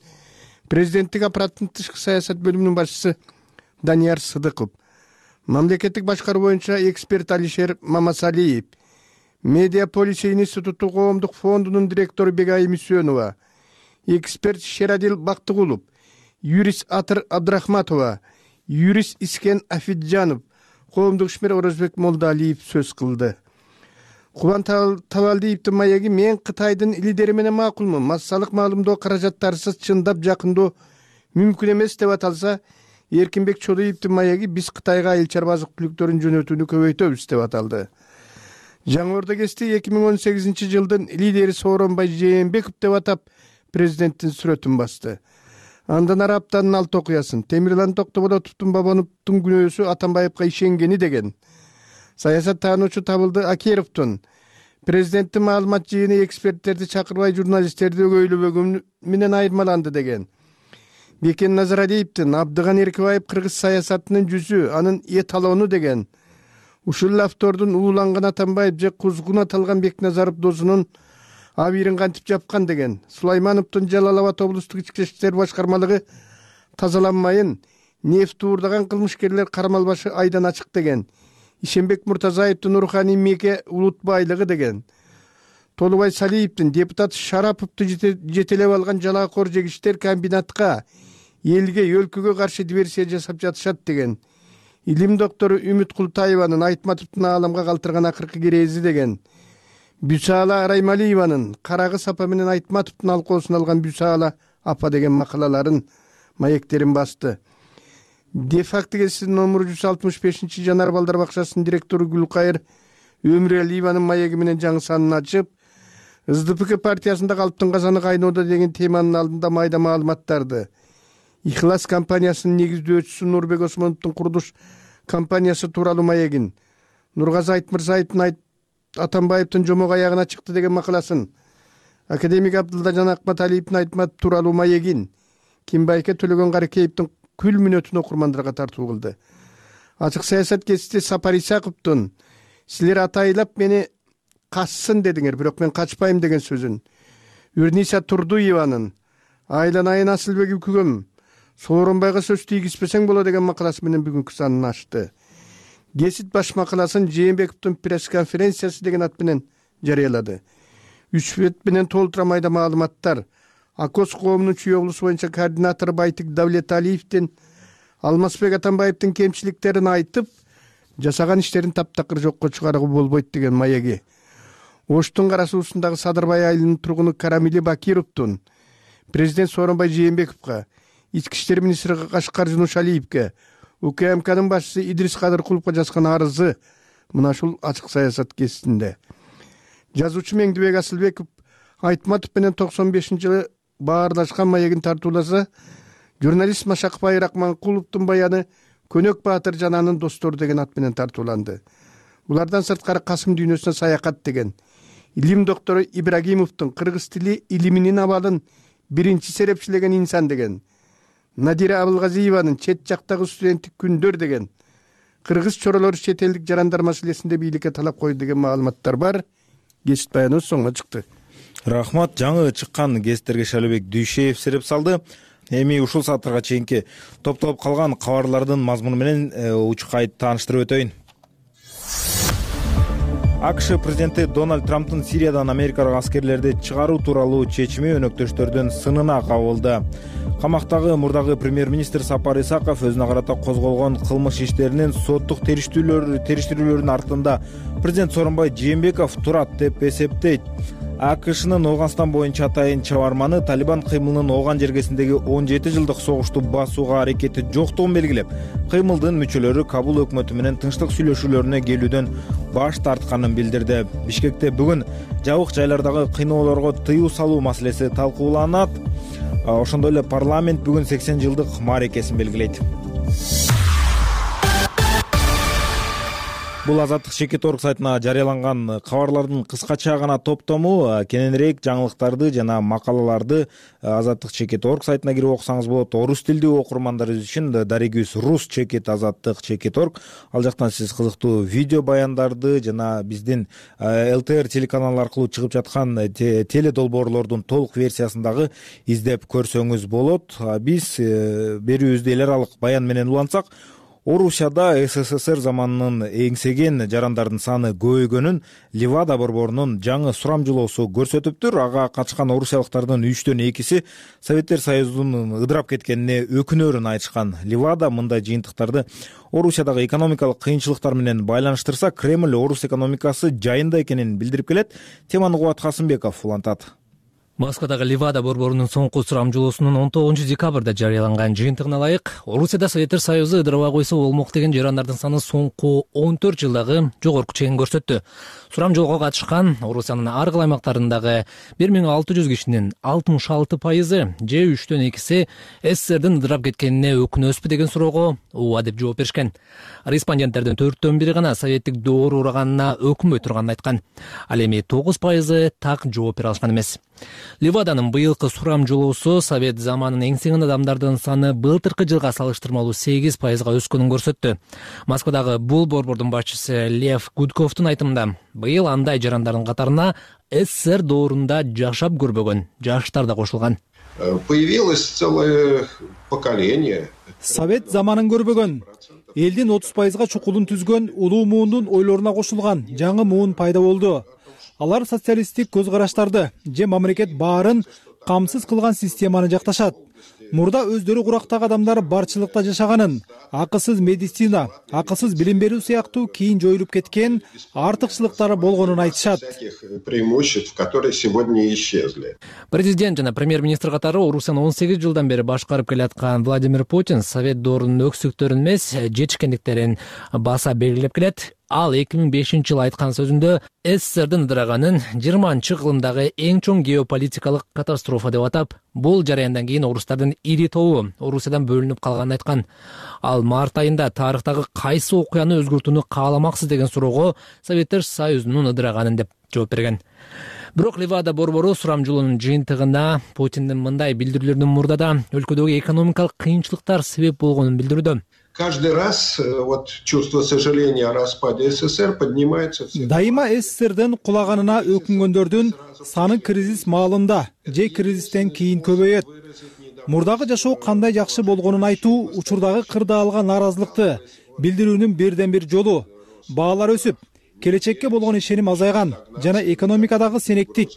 президенттик аппараттын тышкы саясат бөлүмүнүн башчысы Данияр Сыдыков, мамлекеттик башкаруу боюнча эксперт Алишер Мамасалиев, Медиаполис институту коомдук фондунун директору Бегайым Үсөнова, эксперт Шерадил Бактыгулов, юрист Атыр Абдрахматова, юрист Искен Афиджанов, коомдук ишмер Орозбек Молдалиев сөз кылды. Кубан Табалдиевдин маеги мен Кытайдын лидери менен макулмун. Массалык маалымдоо каражаттарсыз чындап жакындоо мүмкүн эмес деп аталса, Эркинбек Чодоевдин маеги биз Кытайга айыл чарба азык түлүктөрүн жөнөтүүнү көбөйтөбүз деп аталды. Жаңы Ордо Гезити 2018 жылдын лидери Сооронбай Жээнбеков деп атап президенттин сүрөтүн басты. Андан ары аптанын 6 окуясын Темирлан Токтоболотовдун Бабановдун күнөөсү Атамбаевга ишенгени деген. Саясат таануучу Табылды Акеровдун президенттин маалымат жыйыны эксперттерди чакырбай журналисттерди өгөйлөбөгөнү менен айырмаланды деген. Бекен Назарадиевдин Абдыган Эркебаев кыргыз саясатынын жүзү, анын эталону деген. Ушул автордун ууланган Атамбаев же кузгун аталган Бекназаров досунун абийирин кантип жапкан деген. Сулаймановдун Жалал Абад облустук ички иштер башкармалыгы тазаланмайын, нефт уурдаган кылмышкерлер кармалбашы айдан ачык деген. Ишенбек Муртазаевдин Руханий меке улут байлыгы деген. Толубай Салиевдин депутат Шараповду жетелеп алган жалаакор жегиштер комбинатка, элге, өлкөгө каршы диверсия жасап жатышат деген. Илим доктору Үмүт Култаеванын Айтматовдун ааламга калтырган акыркы керези деген. Бүсаала Араймалиеванын Карагыз апа менен Айтматовдун алкоосун алган Бүсаала апа деген макалаларын, маектерин басты. Дефакты гезитинин номуру 165 Жанар балдар бакчасынын директору Гүлкайыр Өмүралиеванын маеги менен жаңы санын ачып, СДПК партиясында калыптын казаны кайноодо деген теманын алдында майда маалыматтарды. Ихлас компаниясынын негиздөөчүсү Нурбек Осмоновдун курулуш компаниясы тууралуу маегин, Нургазы Айтмырзаевдин Атамбаевдин жомок аягына чыкты деген макаласын, академик Абдылдажан Акматалиевдин Айтмат тууралуу маегин, Кимбайке Төлөгөн Каракеевдин күл мүнөтүн окурмандарга тартуу кылды. Ачык саясат гезити Сапар Исаковдун силер атайлап мени кассын дедиңер, бирок мен качпайм деген сөзүн, Үрниса Турдуеванын Айланайын Асылбек үкүгөм Сооронбайга сөз тийгизбесең боло деген макаласы менен бүгүнкү санын ачты. Гезит баш макаласын Жээнбековдун пресс-конференциясы деген ат менен жарыялады. 3 бет менен толтура майда маалыматтар. Акос коомунун чүй облусу боюнча координатору Байтик Давлеталиевдин Алмазбек Атамбаевдин кемчиликтерин айтып, жасаган иштерин таптакыр жокко чыгарууга болбойт деген маеги. Оштун кара суусундагы Садырбай айылынын тургуну Карамили Бакировдун президент Сооронбай Жээнбековго, ички иштер министри Кашкар Жунушалиевге, УКМКнын башчысы Идрис Кадыркуловго жазган арызы мына ушул ачык саясат гезитинде. Жазуучу Меңдибек Асылбеков Айтматов менен 95-жылы баарлашкан маегин тартууласа, журналист Машакбай Рахманкуловдун баяны Көнөк Баатыр жананын достору деген ат менен тартууланды. Булардан сырткары Касым дүйнөсүнө саякат деген. Илим доктору Ибрагимовдун кыргыз тили илиминин абалын биринчи серепчилеген инсан деген. Надира Абылгазиеванын чет жактагы студенттик күндөр деген. Кыргыз чоролору чет элдик жарандар маселесинде бийликке талап койду деген маалыматтар бар. Гезит баяны соңго чыкты. Рахмат. Жаңы чыккан гезиттерге Шалыбек Дүйшеев сереп салды. Эми ушул сааттарга чейинки топтолуп калган кабарлардын мазмуну менен учкайды тааныштырып өтөйүн. АКШ президенти Дональд Трамптын Сириядан америкалык аскерлерди чыгаруу тууралуу чечими өнөктөштөрдүн сынына кабылды. Камактагы мурдагы премьер-министр Сапар Исаков өзүнө карата козголгон кылмыш иштеринин соттук териштирүүлөрүнүн артында президент Сооронбай Жээнбеков турат деп эсептейт. АКШнын Ооганстан боюнча атайын чабарманы Талибан кыймылынын Ооган жергесиндеги 17 жылдык согушту басууга аракети жоктугун белгилеп, кыймылдын мүчөлөрү Кабул өкмөтү менен тынчтык сүйлөшүүлөрүнө келүүдөн баш тартканын билдирди. Бишкекте бүгүн жабык жайлардагы кыйноолорго тыюу салуу маселеси талкууланат. Ошондой эле парламент бүгүн 80 жылдык мааракесин белгилейт. Бул Азаттык Чекит.org сайтына жарыяланган кабарлардын кыскача гана топтому. Кененирээк жаңылыктарды жана макалаларды Азаттык Чекит.org сайтына кирип окусаңыз болот. Орус тилдүү окурмандарыбыз үчүн дарегибиз Рус Чекит Азаттык Чекит.org. Ал жактан сиз кызыктуу видео баяндарды жана биздин ЛТР телеканалы аркылуу чыгып жаткан теле долбоорлордун толук версиясын дагы издеп көрсөңүз болот. Биз берүүбүздү эл аралык баян менен улантсак, Орусияда СССР заманынын эңсеген жарандардын саны көбөйгөнүн Левада борборунун жаңы сурамжылоосу көрсөтүптүр. Ага катышкан орусиялыктардын 3/2 Советтер Союзунун ыдырап кеткенине өкүнөрүн айтышкан. Левада мындай жыйынтыктарды Орусиядагы экономикалык кыйынчылыктар менен байланыштырса, Кремль орус экономикасы жайында экенин билдирип келет. Теманы Кубат Касымбеков улантат. Москвадагы Левада борборунун соңку сурамжылоосунун 19 декабрда жарыяланган жыйынтыгына ылайык, Орусияда Советтер Союзу ыдырабай койсо болмок деген жарандардын саны соңку 14 жылдагы жогорку чегин көрсөттү. Сурамжылоого катышкан Орусиянын ар кайсы аймактарындагы 1600 кишинин 66% же 3/2 СССРдин ыдырап кеткенине өкүнөсүзбү деген суроого ооба деп жооп беришкен. Респонденттердин 4/1 гана советтик доор ураганына өкүнбөй турганын айткан. Ал эми 9% так жооп бере алышкан эмес. Леваданын быйылкы сурамжылоосу совет заманын эңсеген адамдардын саны былтыркы жылга салыштырмалуу 8%га өскөнүн көрсөттү. Москвадагы бул борбордун башчысы Лев Гудковдун айтымында, быйыл андай жарандардын катарына СССР доорунда жашап көрбөгөн жаштар да кошулган. Появилось целое поколение. Совет заманын көрбөгөн, элдин 30%га чукулун түзгөн улуу муундун ойлоруна кошулган жаңы муун пайда болду. Алар социалисттик көз караштарды же мамлекет баарын камсыз кылган системаны жакташат. Мурда өздөрү курактагы адамдар барчылыкта жашаганын, акысыз медицина, акысыз билим берүү сыяктуу кийин жоюлуп кеткен артыкчылыктары болгонун айтышат. Преимуществ, которые сегодня исчезли. Президент жана премьер-министр катары Орусияны 18 жылдан бери башкарып келаткан Владимир Путин совет доорунун өксүктөрүн эмес, жетишкендиктерин баса белгилеп келет. Ал 2005 айткан сөзүндө СССРдин ыдыраганын 20-кылымдагы эң чоң геополитикалык катастрофа деп атап, бул жараяндан кийин орустардын ири тобу Орусиядан бөлүнүп калганын айткан. Ал март айында тарыхтагы кайсы окуяны өзгөртүүнү кааламаксыз деген суроого Советтер Союзунун ыдыраганын деп жооп берген. Бирок Левада борбору сурамжылоонун жыйынтыгына Путиндин мындай билдирүүлөрүнүн мурдада өлкөдөгү экономикалык кыйынчылыктар себеп болгонун билдирүүдө. Каждый раз чувство сожаления о распаде СССР поднимается. Дайыма СССРдин кулаганына өкүнгөндөрдүн саны кризис маалында же кризистен кийин көбөйөт. Мурдагы жашоо кандай жакшы болгонун айтуу учурдагы кырдаалга нааразылыкты билдирүүнүн бирден бир жолу. Баалар өсүп, келечекке болгон ишеним азайган жана экономикадагы сенектик,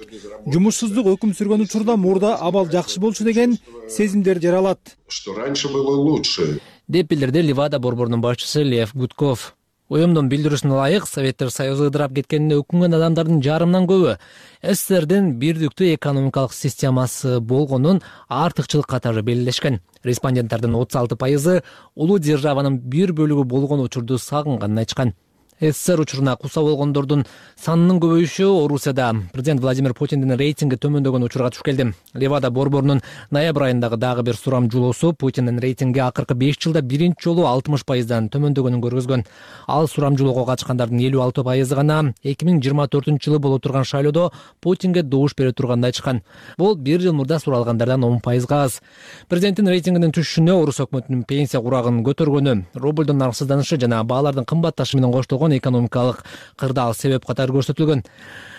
жумушсуздук өкүм сүргөн учурда мурда абал жакшы болчу деген сезимдер жаралат. Что раньше было лучше. Деп билдирди Левада борборунун башчысы Лев Гудков. Уюмдун билдирүүсүнө ылайык, Советтер Союзу ыдырап кеткенине өкүнгөн адамдардын жарымынан көбү СССРдин бирдиктүү экономикалык системасы болгонун артыкчылык катары белгилешкен. Респонденттердин 36% улуу державанын бир бөлүгү болгон учурду сагынганын айтышкан. СССР учуруна куса болгондордун санынын көбөйүшү Орусияда президент Владимир Путиндин рейтинги төмөндөгөн учурга туш келди. Левада борборунун ноябрь айындагы дагы бир сурамжылоосу Путиндин рейтинги акыркы 5 жылда биринчи жолу 60%дан төмөндөгөнүн көргөзгөн. Ал сурамжылоого катышкандардын 56% гана 2024 боло турган шайлоодо Путинге добуш бере турганын айтышкан. Бул бир жыл мурда суралгандардан 10%га аз. Президенттин рейтингинин түшүшүнө орус өкмөтүнүн пенсия курагын көтөргөнү, рублдун нарксызданышы жана баалардын кымбатташы менен коштолгон экономикалык кырдаал себеп катары көрсөтүлгөн.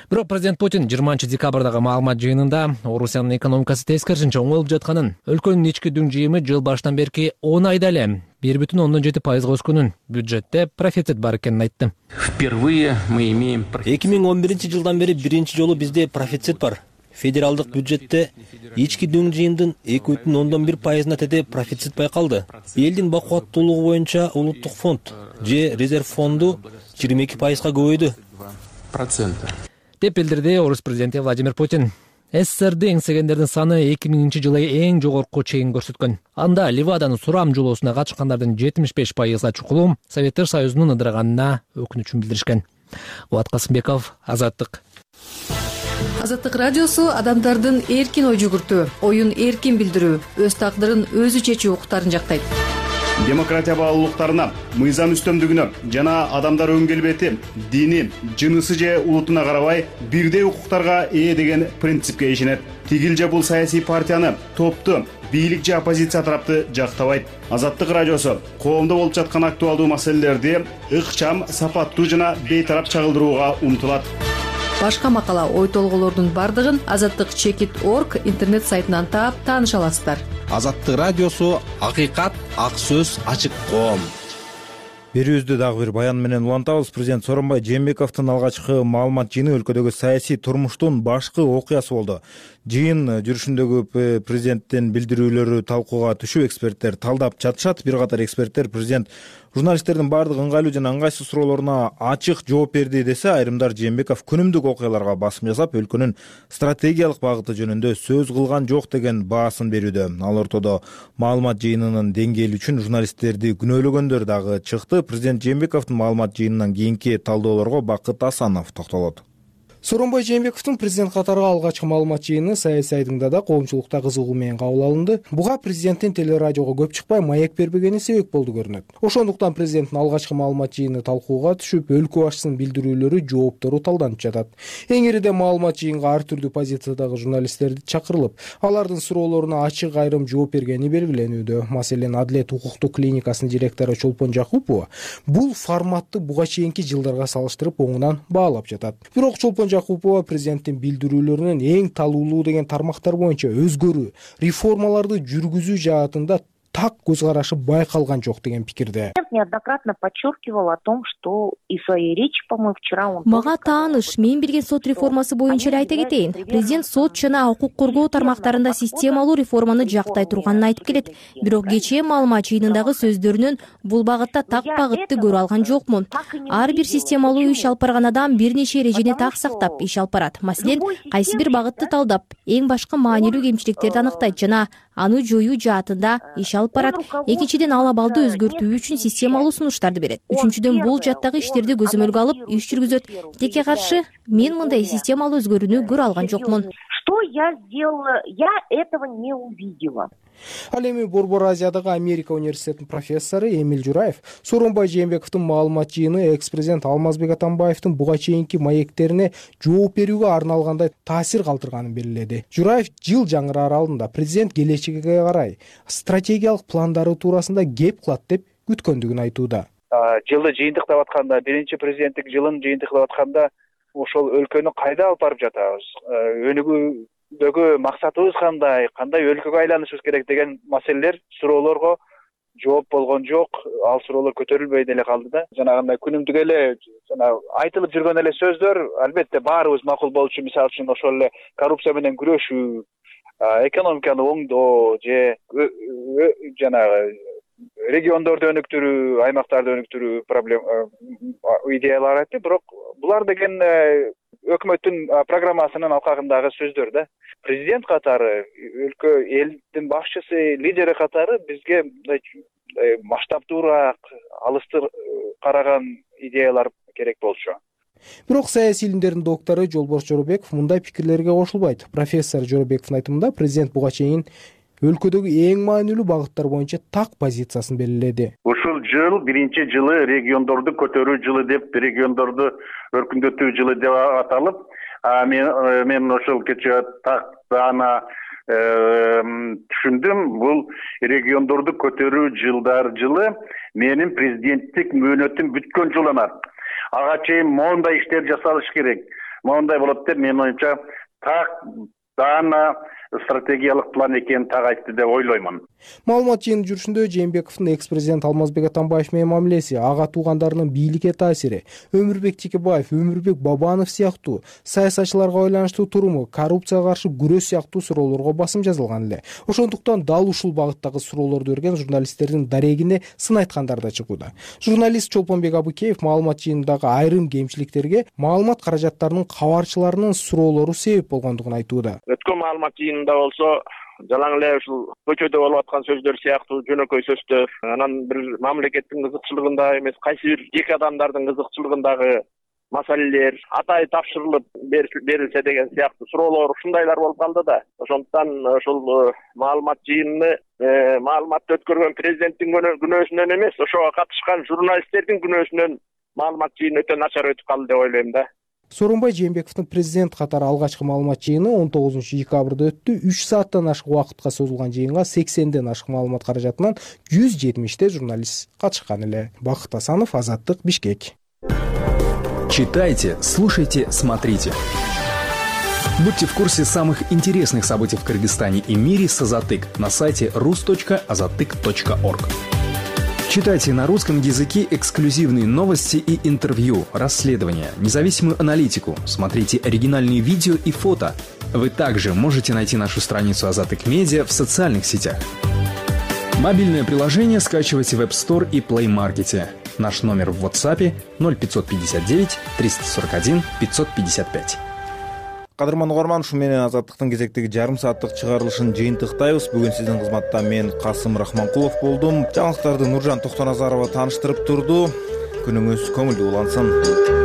Бирок президент Путин 20 декабрдагы маалымат жыйынында Орусиянын экономикасы тескерисинче оңолуп жатканын, өлкөнүн ички дүң жыйымы жыл башынан берки 10 айда эле 1,7% өскөнүн, бюджетте профицит бар экенин айтты. Впервые мы имеем 2011 жылдан бери биринчи жолу бизде профицит бар. Федералдык бюджетте ички дүң жыйымдын 2,1%-на теде профицит байкалды. Элдин бакубаттуулугу боюнча улуттук фонд же резерв фонду 22%га көбөйдү. Деп билдирди орус президенти Владимир Путин. СССРди эңсегендердин саны 2000 жылы эң жогорку чегин көрсөткөн. Анда Леваданын сурамжылоосуна катышкандардын 75%га чукулу Советтер Союзунун ыдыраганына өкүнүчүн билдиришкен. Кубат Касымбеков, Азаттык. Азаттык радиосу адамдардын эркин ой жүгүртүү, оюн эркин билдирүү, өз тагдырын өзү чечүү укуктарын жактайт. демократия баалуулуктарына, мыйзам үстөмдүгүнө жана адамдар өң келбети, дини, жынысы же улутуна карабай бирдей укуктарга ээ деген принципке ишенет. Тигил же бул саясий партияны, топту, бийлик же оппозиция тарапты жактабайт. Азаттык радиосу коомдо болуп жаткан актуалдуу маселелерди ыкчам, сапаттуу жана бейтарап чагылдырууга умтулат. Башка макала, ой толгоолордун бардыгын azattik.org интернет сайтынан таап тааныша аласыздар. Азаттык радиосу акыйкат, ак сөз, ачык коом. Берүүбүздү дагы бир баян менен улантабыз. Президент Сооронбай Жээнбековдун алгачкы маалымат жыйыны өлкөдөгү саясий турмуштун башкы окуясы болду. Жыйын жүрүшүндөгү президенттин билдирүүлөрү талкууга түшүп, эксперттер талдап жатышат. Бир катар эксперттер президент журналисттердин баардык ыңгайлуу жана ыңгайсыз суроолоруна ачык жооп берди десе, айрымдар Жээнбеков күнүмдүк окуяларга басым жасап, өлкөнүн стратегиялык багыты жөнүндө сөз кылган жок деген баасын берүүдө. Ал ортодо маалымат жыйынынын деңгээли үчүн журналисттерди күнөөлөгөндөр дагы чыкты. Президент Жээнбековдун маалымат жыйынынан кийинки талдоолорго Бакыт Асанов токтолот. Сооронбай Жээнбековдун президент катары алгачкы маалымат жыйыны саясий айдыңда да коомчулукта кызыгуу менен кабыл алынды. Буга президенттин телерадиого көп чыкпай маек бербегени себеп болду көрүнөт. Ошондуктан президенттин алгачкы маалымат жыйыны талкууга түшүп, өлкө башчысынын билдирүүлөрү, жооптору талданып жатат. Эң ириде маалымат жыйынга ар түрдүү позициядагы журналисттерди чакырылып, алардын суроолоруна ачык айрым жооп бергени белгиленүүдө. Маселен, Адилет укуктук клиникасынын директору Чолпон Жакупова бул форматты буга чейинки жылдарга салыштырып оңунан баалап жатат. Бирок Чолпон Жакупова президенттин билдирүүлөрүнүн эң талуулуу деген тармактар боюнча өзгөрүү, реформаларды жүргүзүү жаатында так көз карашы байкалган жок деген пикирде. Неоднократно подчеркивал о том, что и в своей речи, по-моему, вчера он... Мага тааныш, мен билген сот реформасы боюнча эле айта кетейин. Президент сот жана укук коргоо тармактарында системалуу реформаны жактай турганын айтып келет. Бирок кечээ маалымат жыйынындагы сөздөрүнөн бул багытта так багытты көрө алган жокмун. Ар бир системалуу иш алып барган адам бир нече эрежени так сактап иш алып барат. Маселен, кайсы бир багытты талдап, эң башкы маанилүү кемчиликтерди аныктайт жана аны жоюу жаатында иш алып барат. Экинчиден, ал абалды өзгөртүү үчүн системалуу сунуштарды берет. Үчүнчүдөн, бул жаттагы иштерди көзөмөлгө алып иш жүргүзөт. Текке каршы, мен мындай системалуу өзгөрүүнү көрө алган жокмун. Что я сделала? Я этого не увидела. Ал эми Борбор Азиядагы Америка университетинин профессору Эмиль Жураев Сооронбай Жээнбековдун маалымат жыйыны экс-президент Алмазбек Атамбаевдин буга чейинки маектерине жооп берүүгө арналгандай таасир калтырганын белгиледи. Жураев жыл жаңыраар алдында президент келечекке карай стратегиялык пландары туурасында кеп кылат деп күткөндүгүн айтууда. Жылды жыйынтыктап атканда, биринчи президенттик жылын жыйынтыктап атканда ошол өлкөнү кайда алып барып жатабыз? Өнүгүүдөгү максатыбыз кандай өлкөгө айланышыбыз керек деген маселелер, суроолорго жооп болгон жок. Ал суроолор көтөрүлбөй деле калды да. Жанагындай күнүмдүк эле айтылып жүргөн эле сөздөр албетте баарыбыз макул болчу. Мисалы үчүн ошол эле коррупция менен күрөшүү, экономиканы оңдоо же жанагы региондорду өнүктүрүү, аймактарды өнүктүрүү идеялар айтты. Бирок булар деген өкмөттүн программасынын алкагындагы сөздөр да. Президент катары, өлкө элдин башчысы, лидери катары бизге масштабтуураак, алыстыр караган идеялар керек болчу. Бирок саясий илимдердин доктору Жолборс Жоробеков мындай пикирлерге кошулбайт. Профессор Жоробековдун айтымында президент буга чейин өлкөдөгү эң маанилүү багыттар боюнча так позициясын белгиледи. Ушул жыл биринчи жылы региондорду көтөрүү жылы деп, региондорду өркүндөтүү жылы деп аталып, мен ошол кечээ так даана түшүндүм. Бул региондорду көтөрүү жылы менин президенттик мөөнөтүм бүткөн жыл эмес. Ага чейин моундай иштер жасалыш керек. Моундай болот деп менин оюмча так даана стратегиялык план экенин так айтты деп ойлоймун. Маалымат жыйынын жүрүшүндө Жээнбековдун экс-президент Алмазбек Атамбаев менен мамилеси, ага туугандарынын бийликке таасири, Өмүрбек Текебаев, Өмүрбек Бабанов сыяктуу саясатчыларга байланыштуу туруму, коррупцияга каршы күрөш сыяктуу суроолорго басым жазылган эле. Ошондуктан дал ушул багыттагы суроолорду берген журналисттердин дарегине сын айткандар да чыгууда. Журналист Чолпонбек Абыкеев маалымат жыйынындагы айрым кемчиликтерге маалымат каражаттарынын кабарчыларынын суроолору себеп болгондугун айтууда. Өткөн маалымат жыйынында болсо жалаң эле ушул көчөдө болуп аткан сөздөр сыяктуу жөнөкөй сөздөр, анан бир мамлекеттин кызыкчылыгында эмес, кайсы бир жеке адамдардын кызыкчылыгындагы маселелер атай тапшырылып берилсе деген сыяктуу суроолор ушундайлар болуп калды да. Ошондуктан ошол маалымат жыйынын маалыматты өткөргөн президенттин күнөөсүнөн эмес, ошого катышкан журналисттердин күнөөсүнөн маалымат жыйыны өтө начар өтүп калды деп ойлойм да. Сооронбай Жээнбековдун президент катары алгачкы маалымат жыйыны 19-декабрда өттү. 3 сааттан ашык убакытка созулган жыйынга 80ден ашык маалымат каражатынан 170 журналист катышкан эле. Бакыт Асанов, Азаттык, Бишкек. Читайте, слушайте, смотрите. Будьте в курсе самых интересных событий в Кыргызстане и мире с Азаттык на сайте rus.azattyk.org. Читайте на русском языке эксклюзивные новости и интервью, расследования, независимую аналитику, смотрите оригинальные видео и фото. Вы также можете найти нашу страницу Азаттык Медиа в социальных сетях. Мобильное приложение скачивайте в App Store и Play Market. Наш номер в WhatsApp 0559 341 555. Кадырман угарман, ушу менен Азаттыктын кезектеги жарым сааттык чыгарылышын жыйынтыктайбыз. Бүгүн сиздин кызматта мен Касым Рахманкулов болдум. Жаңылыктарды Нуржан Токтоназарова тааныштырып турду. Күнүңүз көңүлдүү улансын.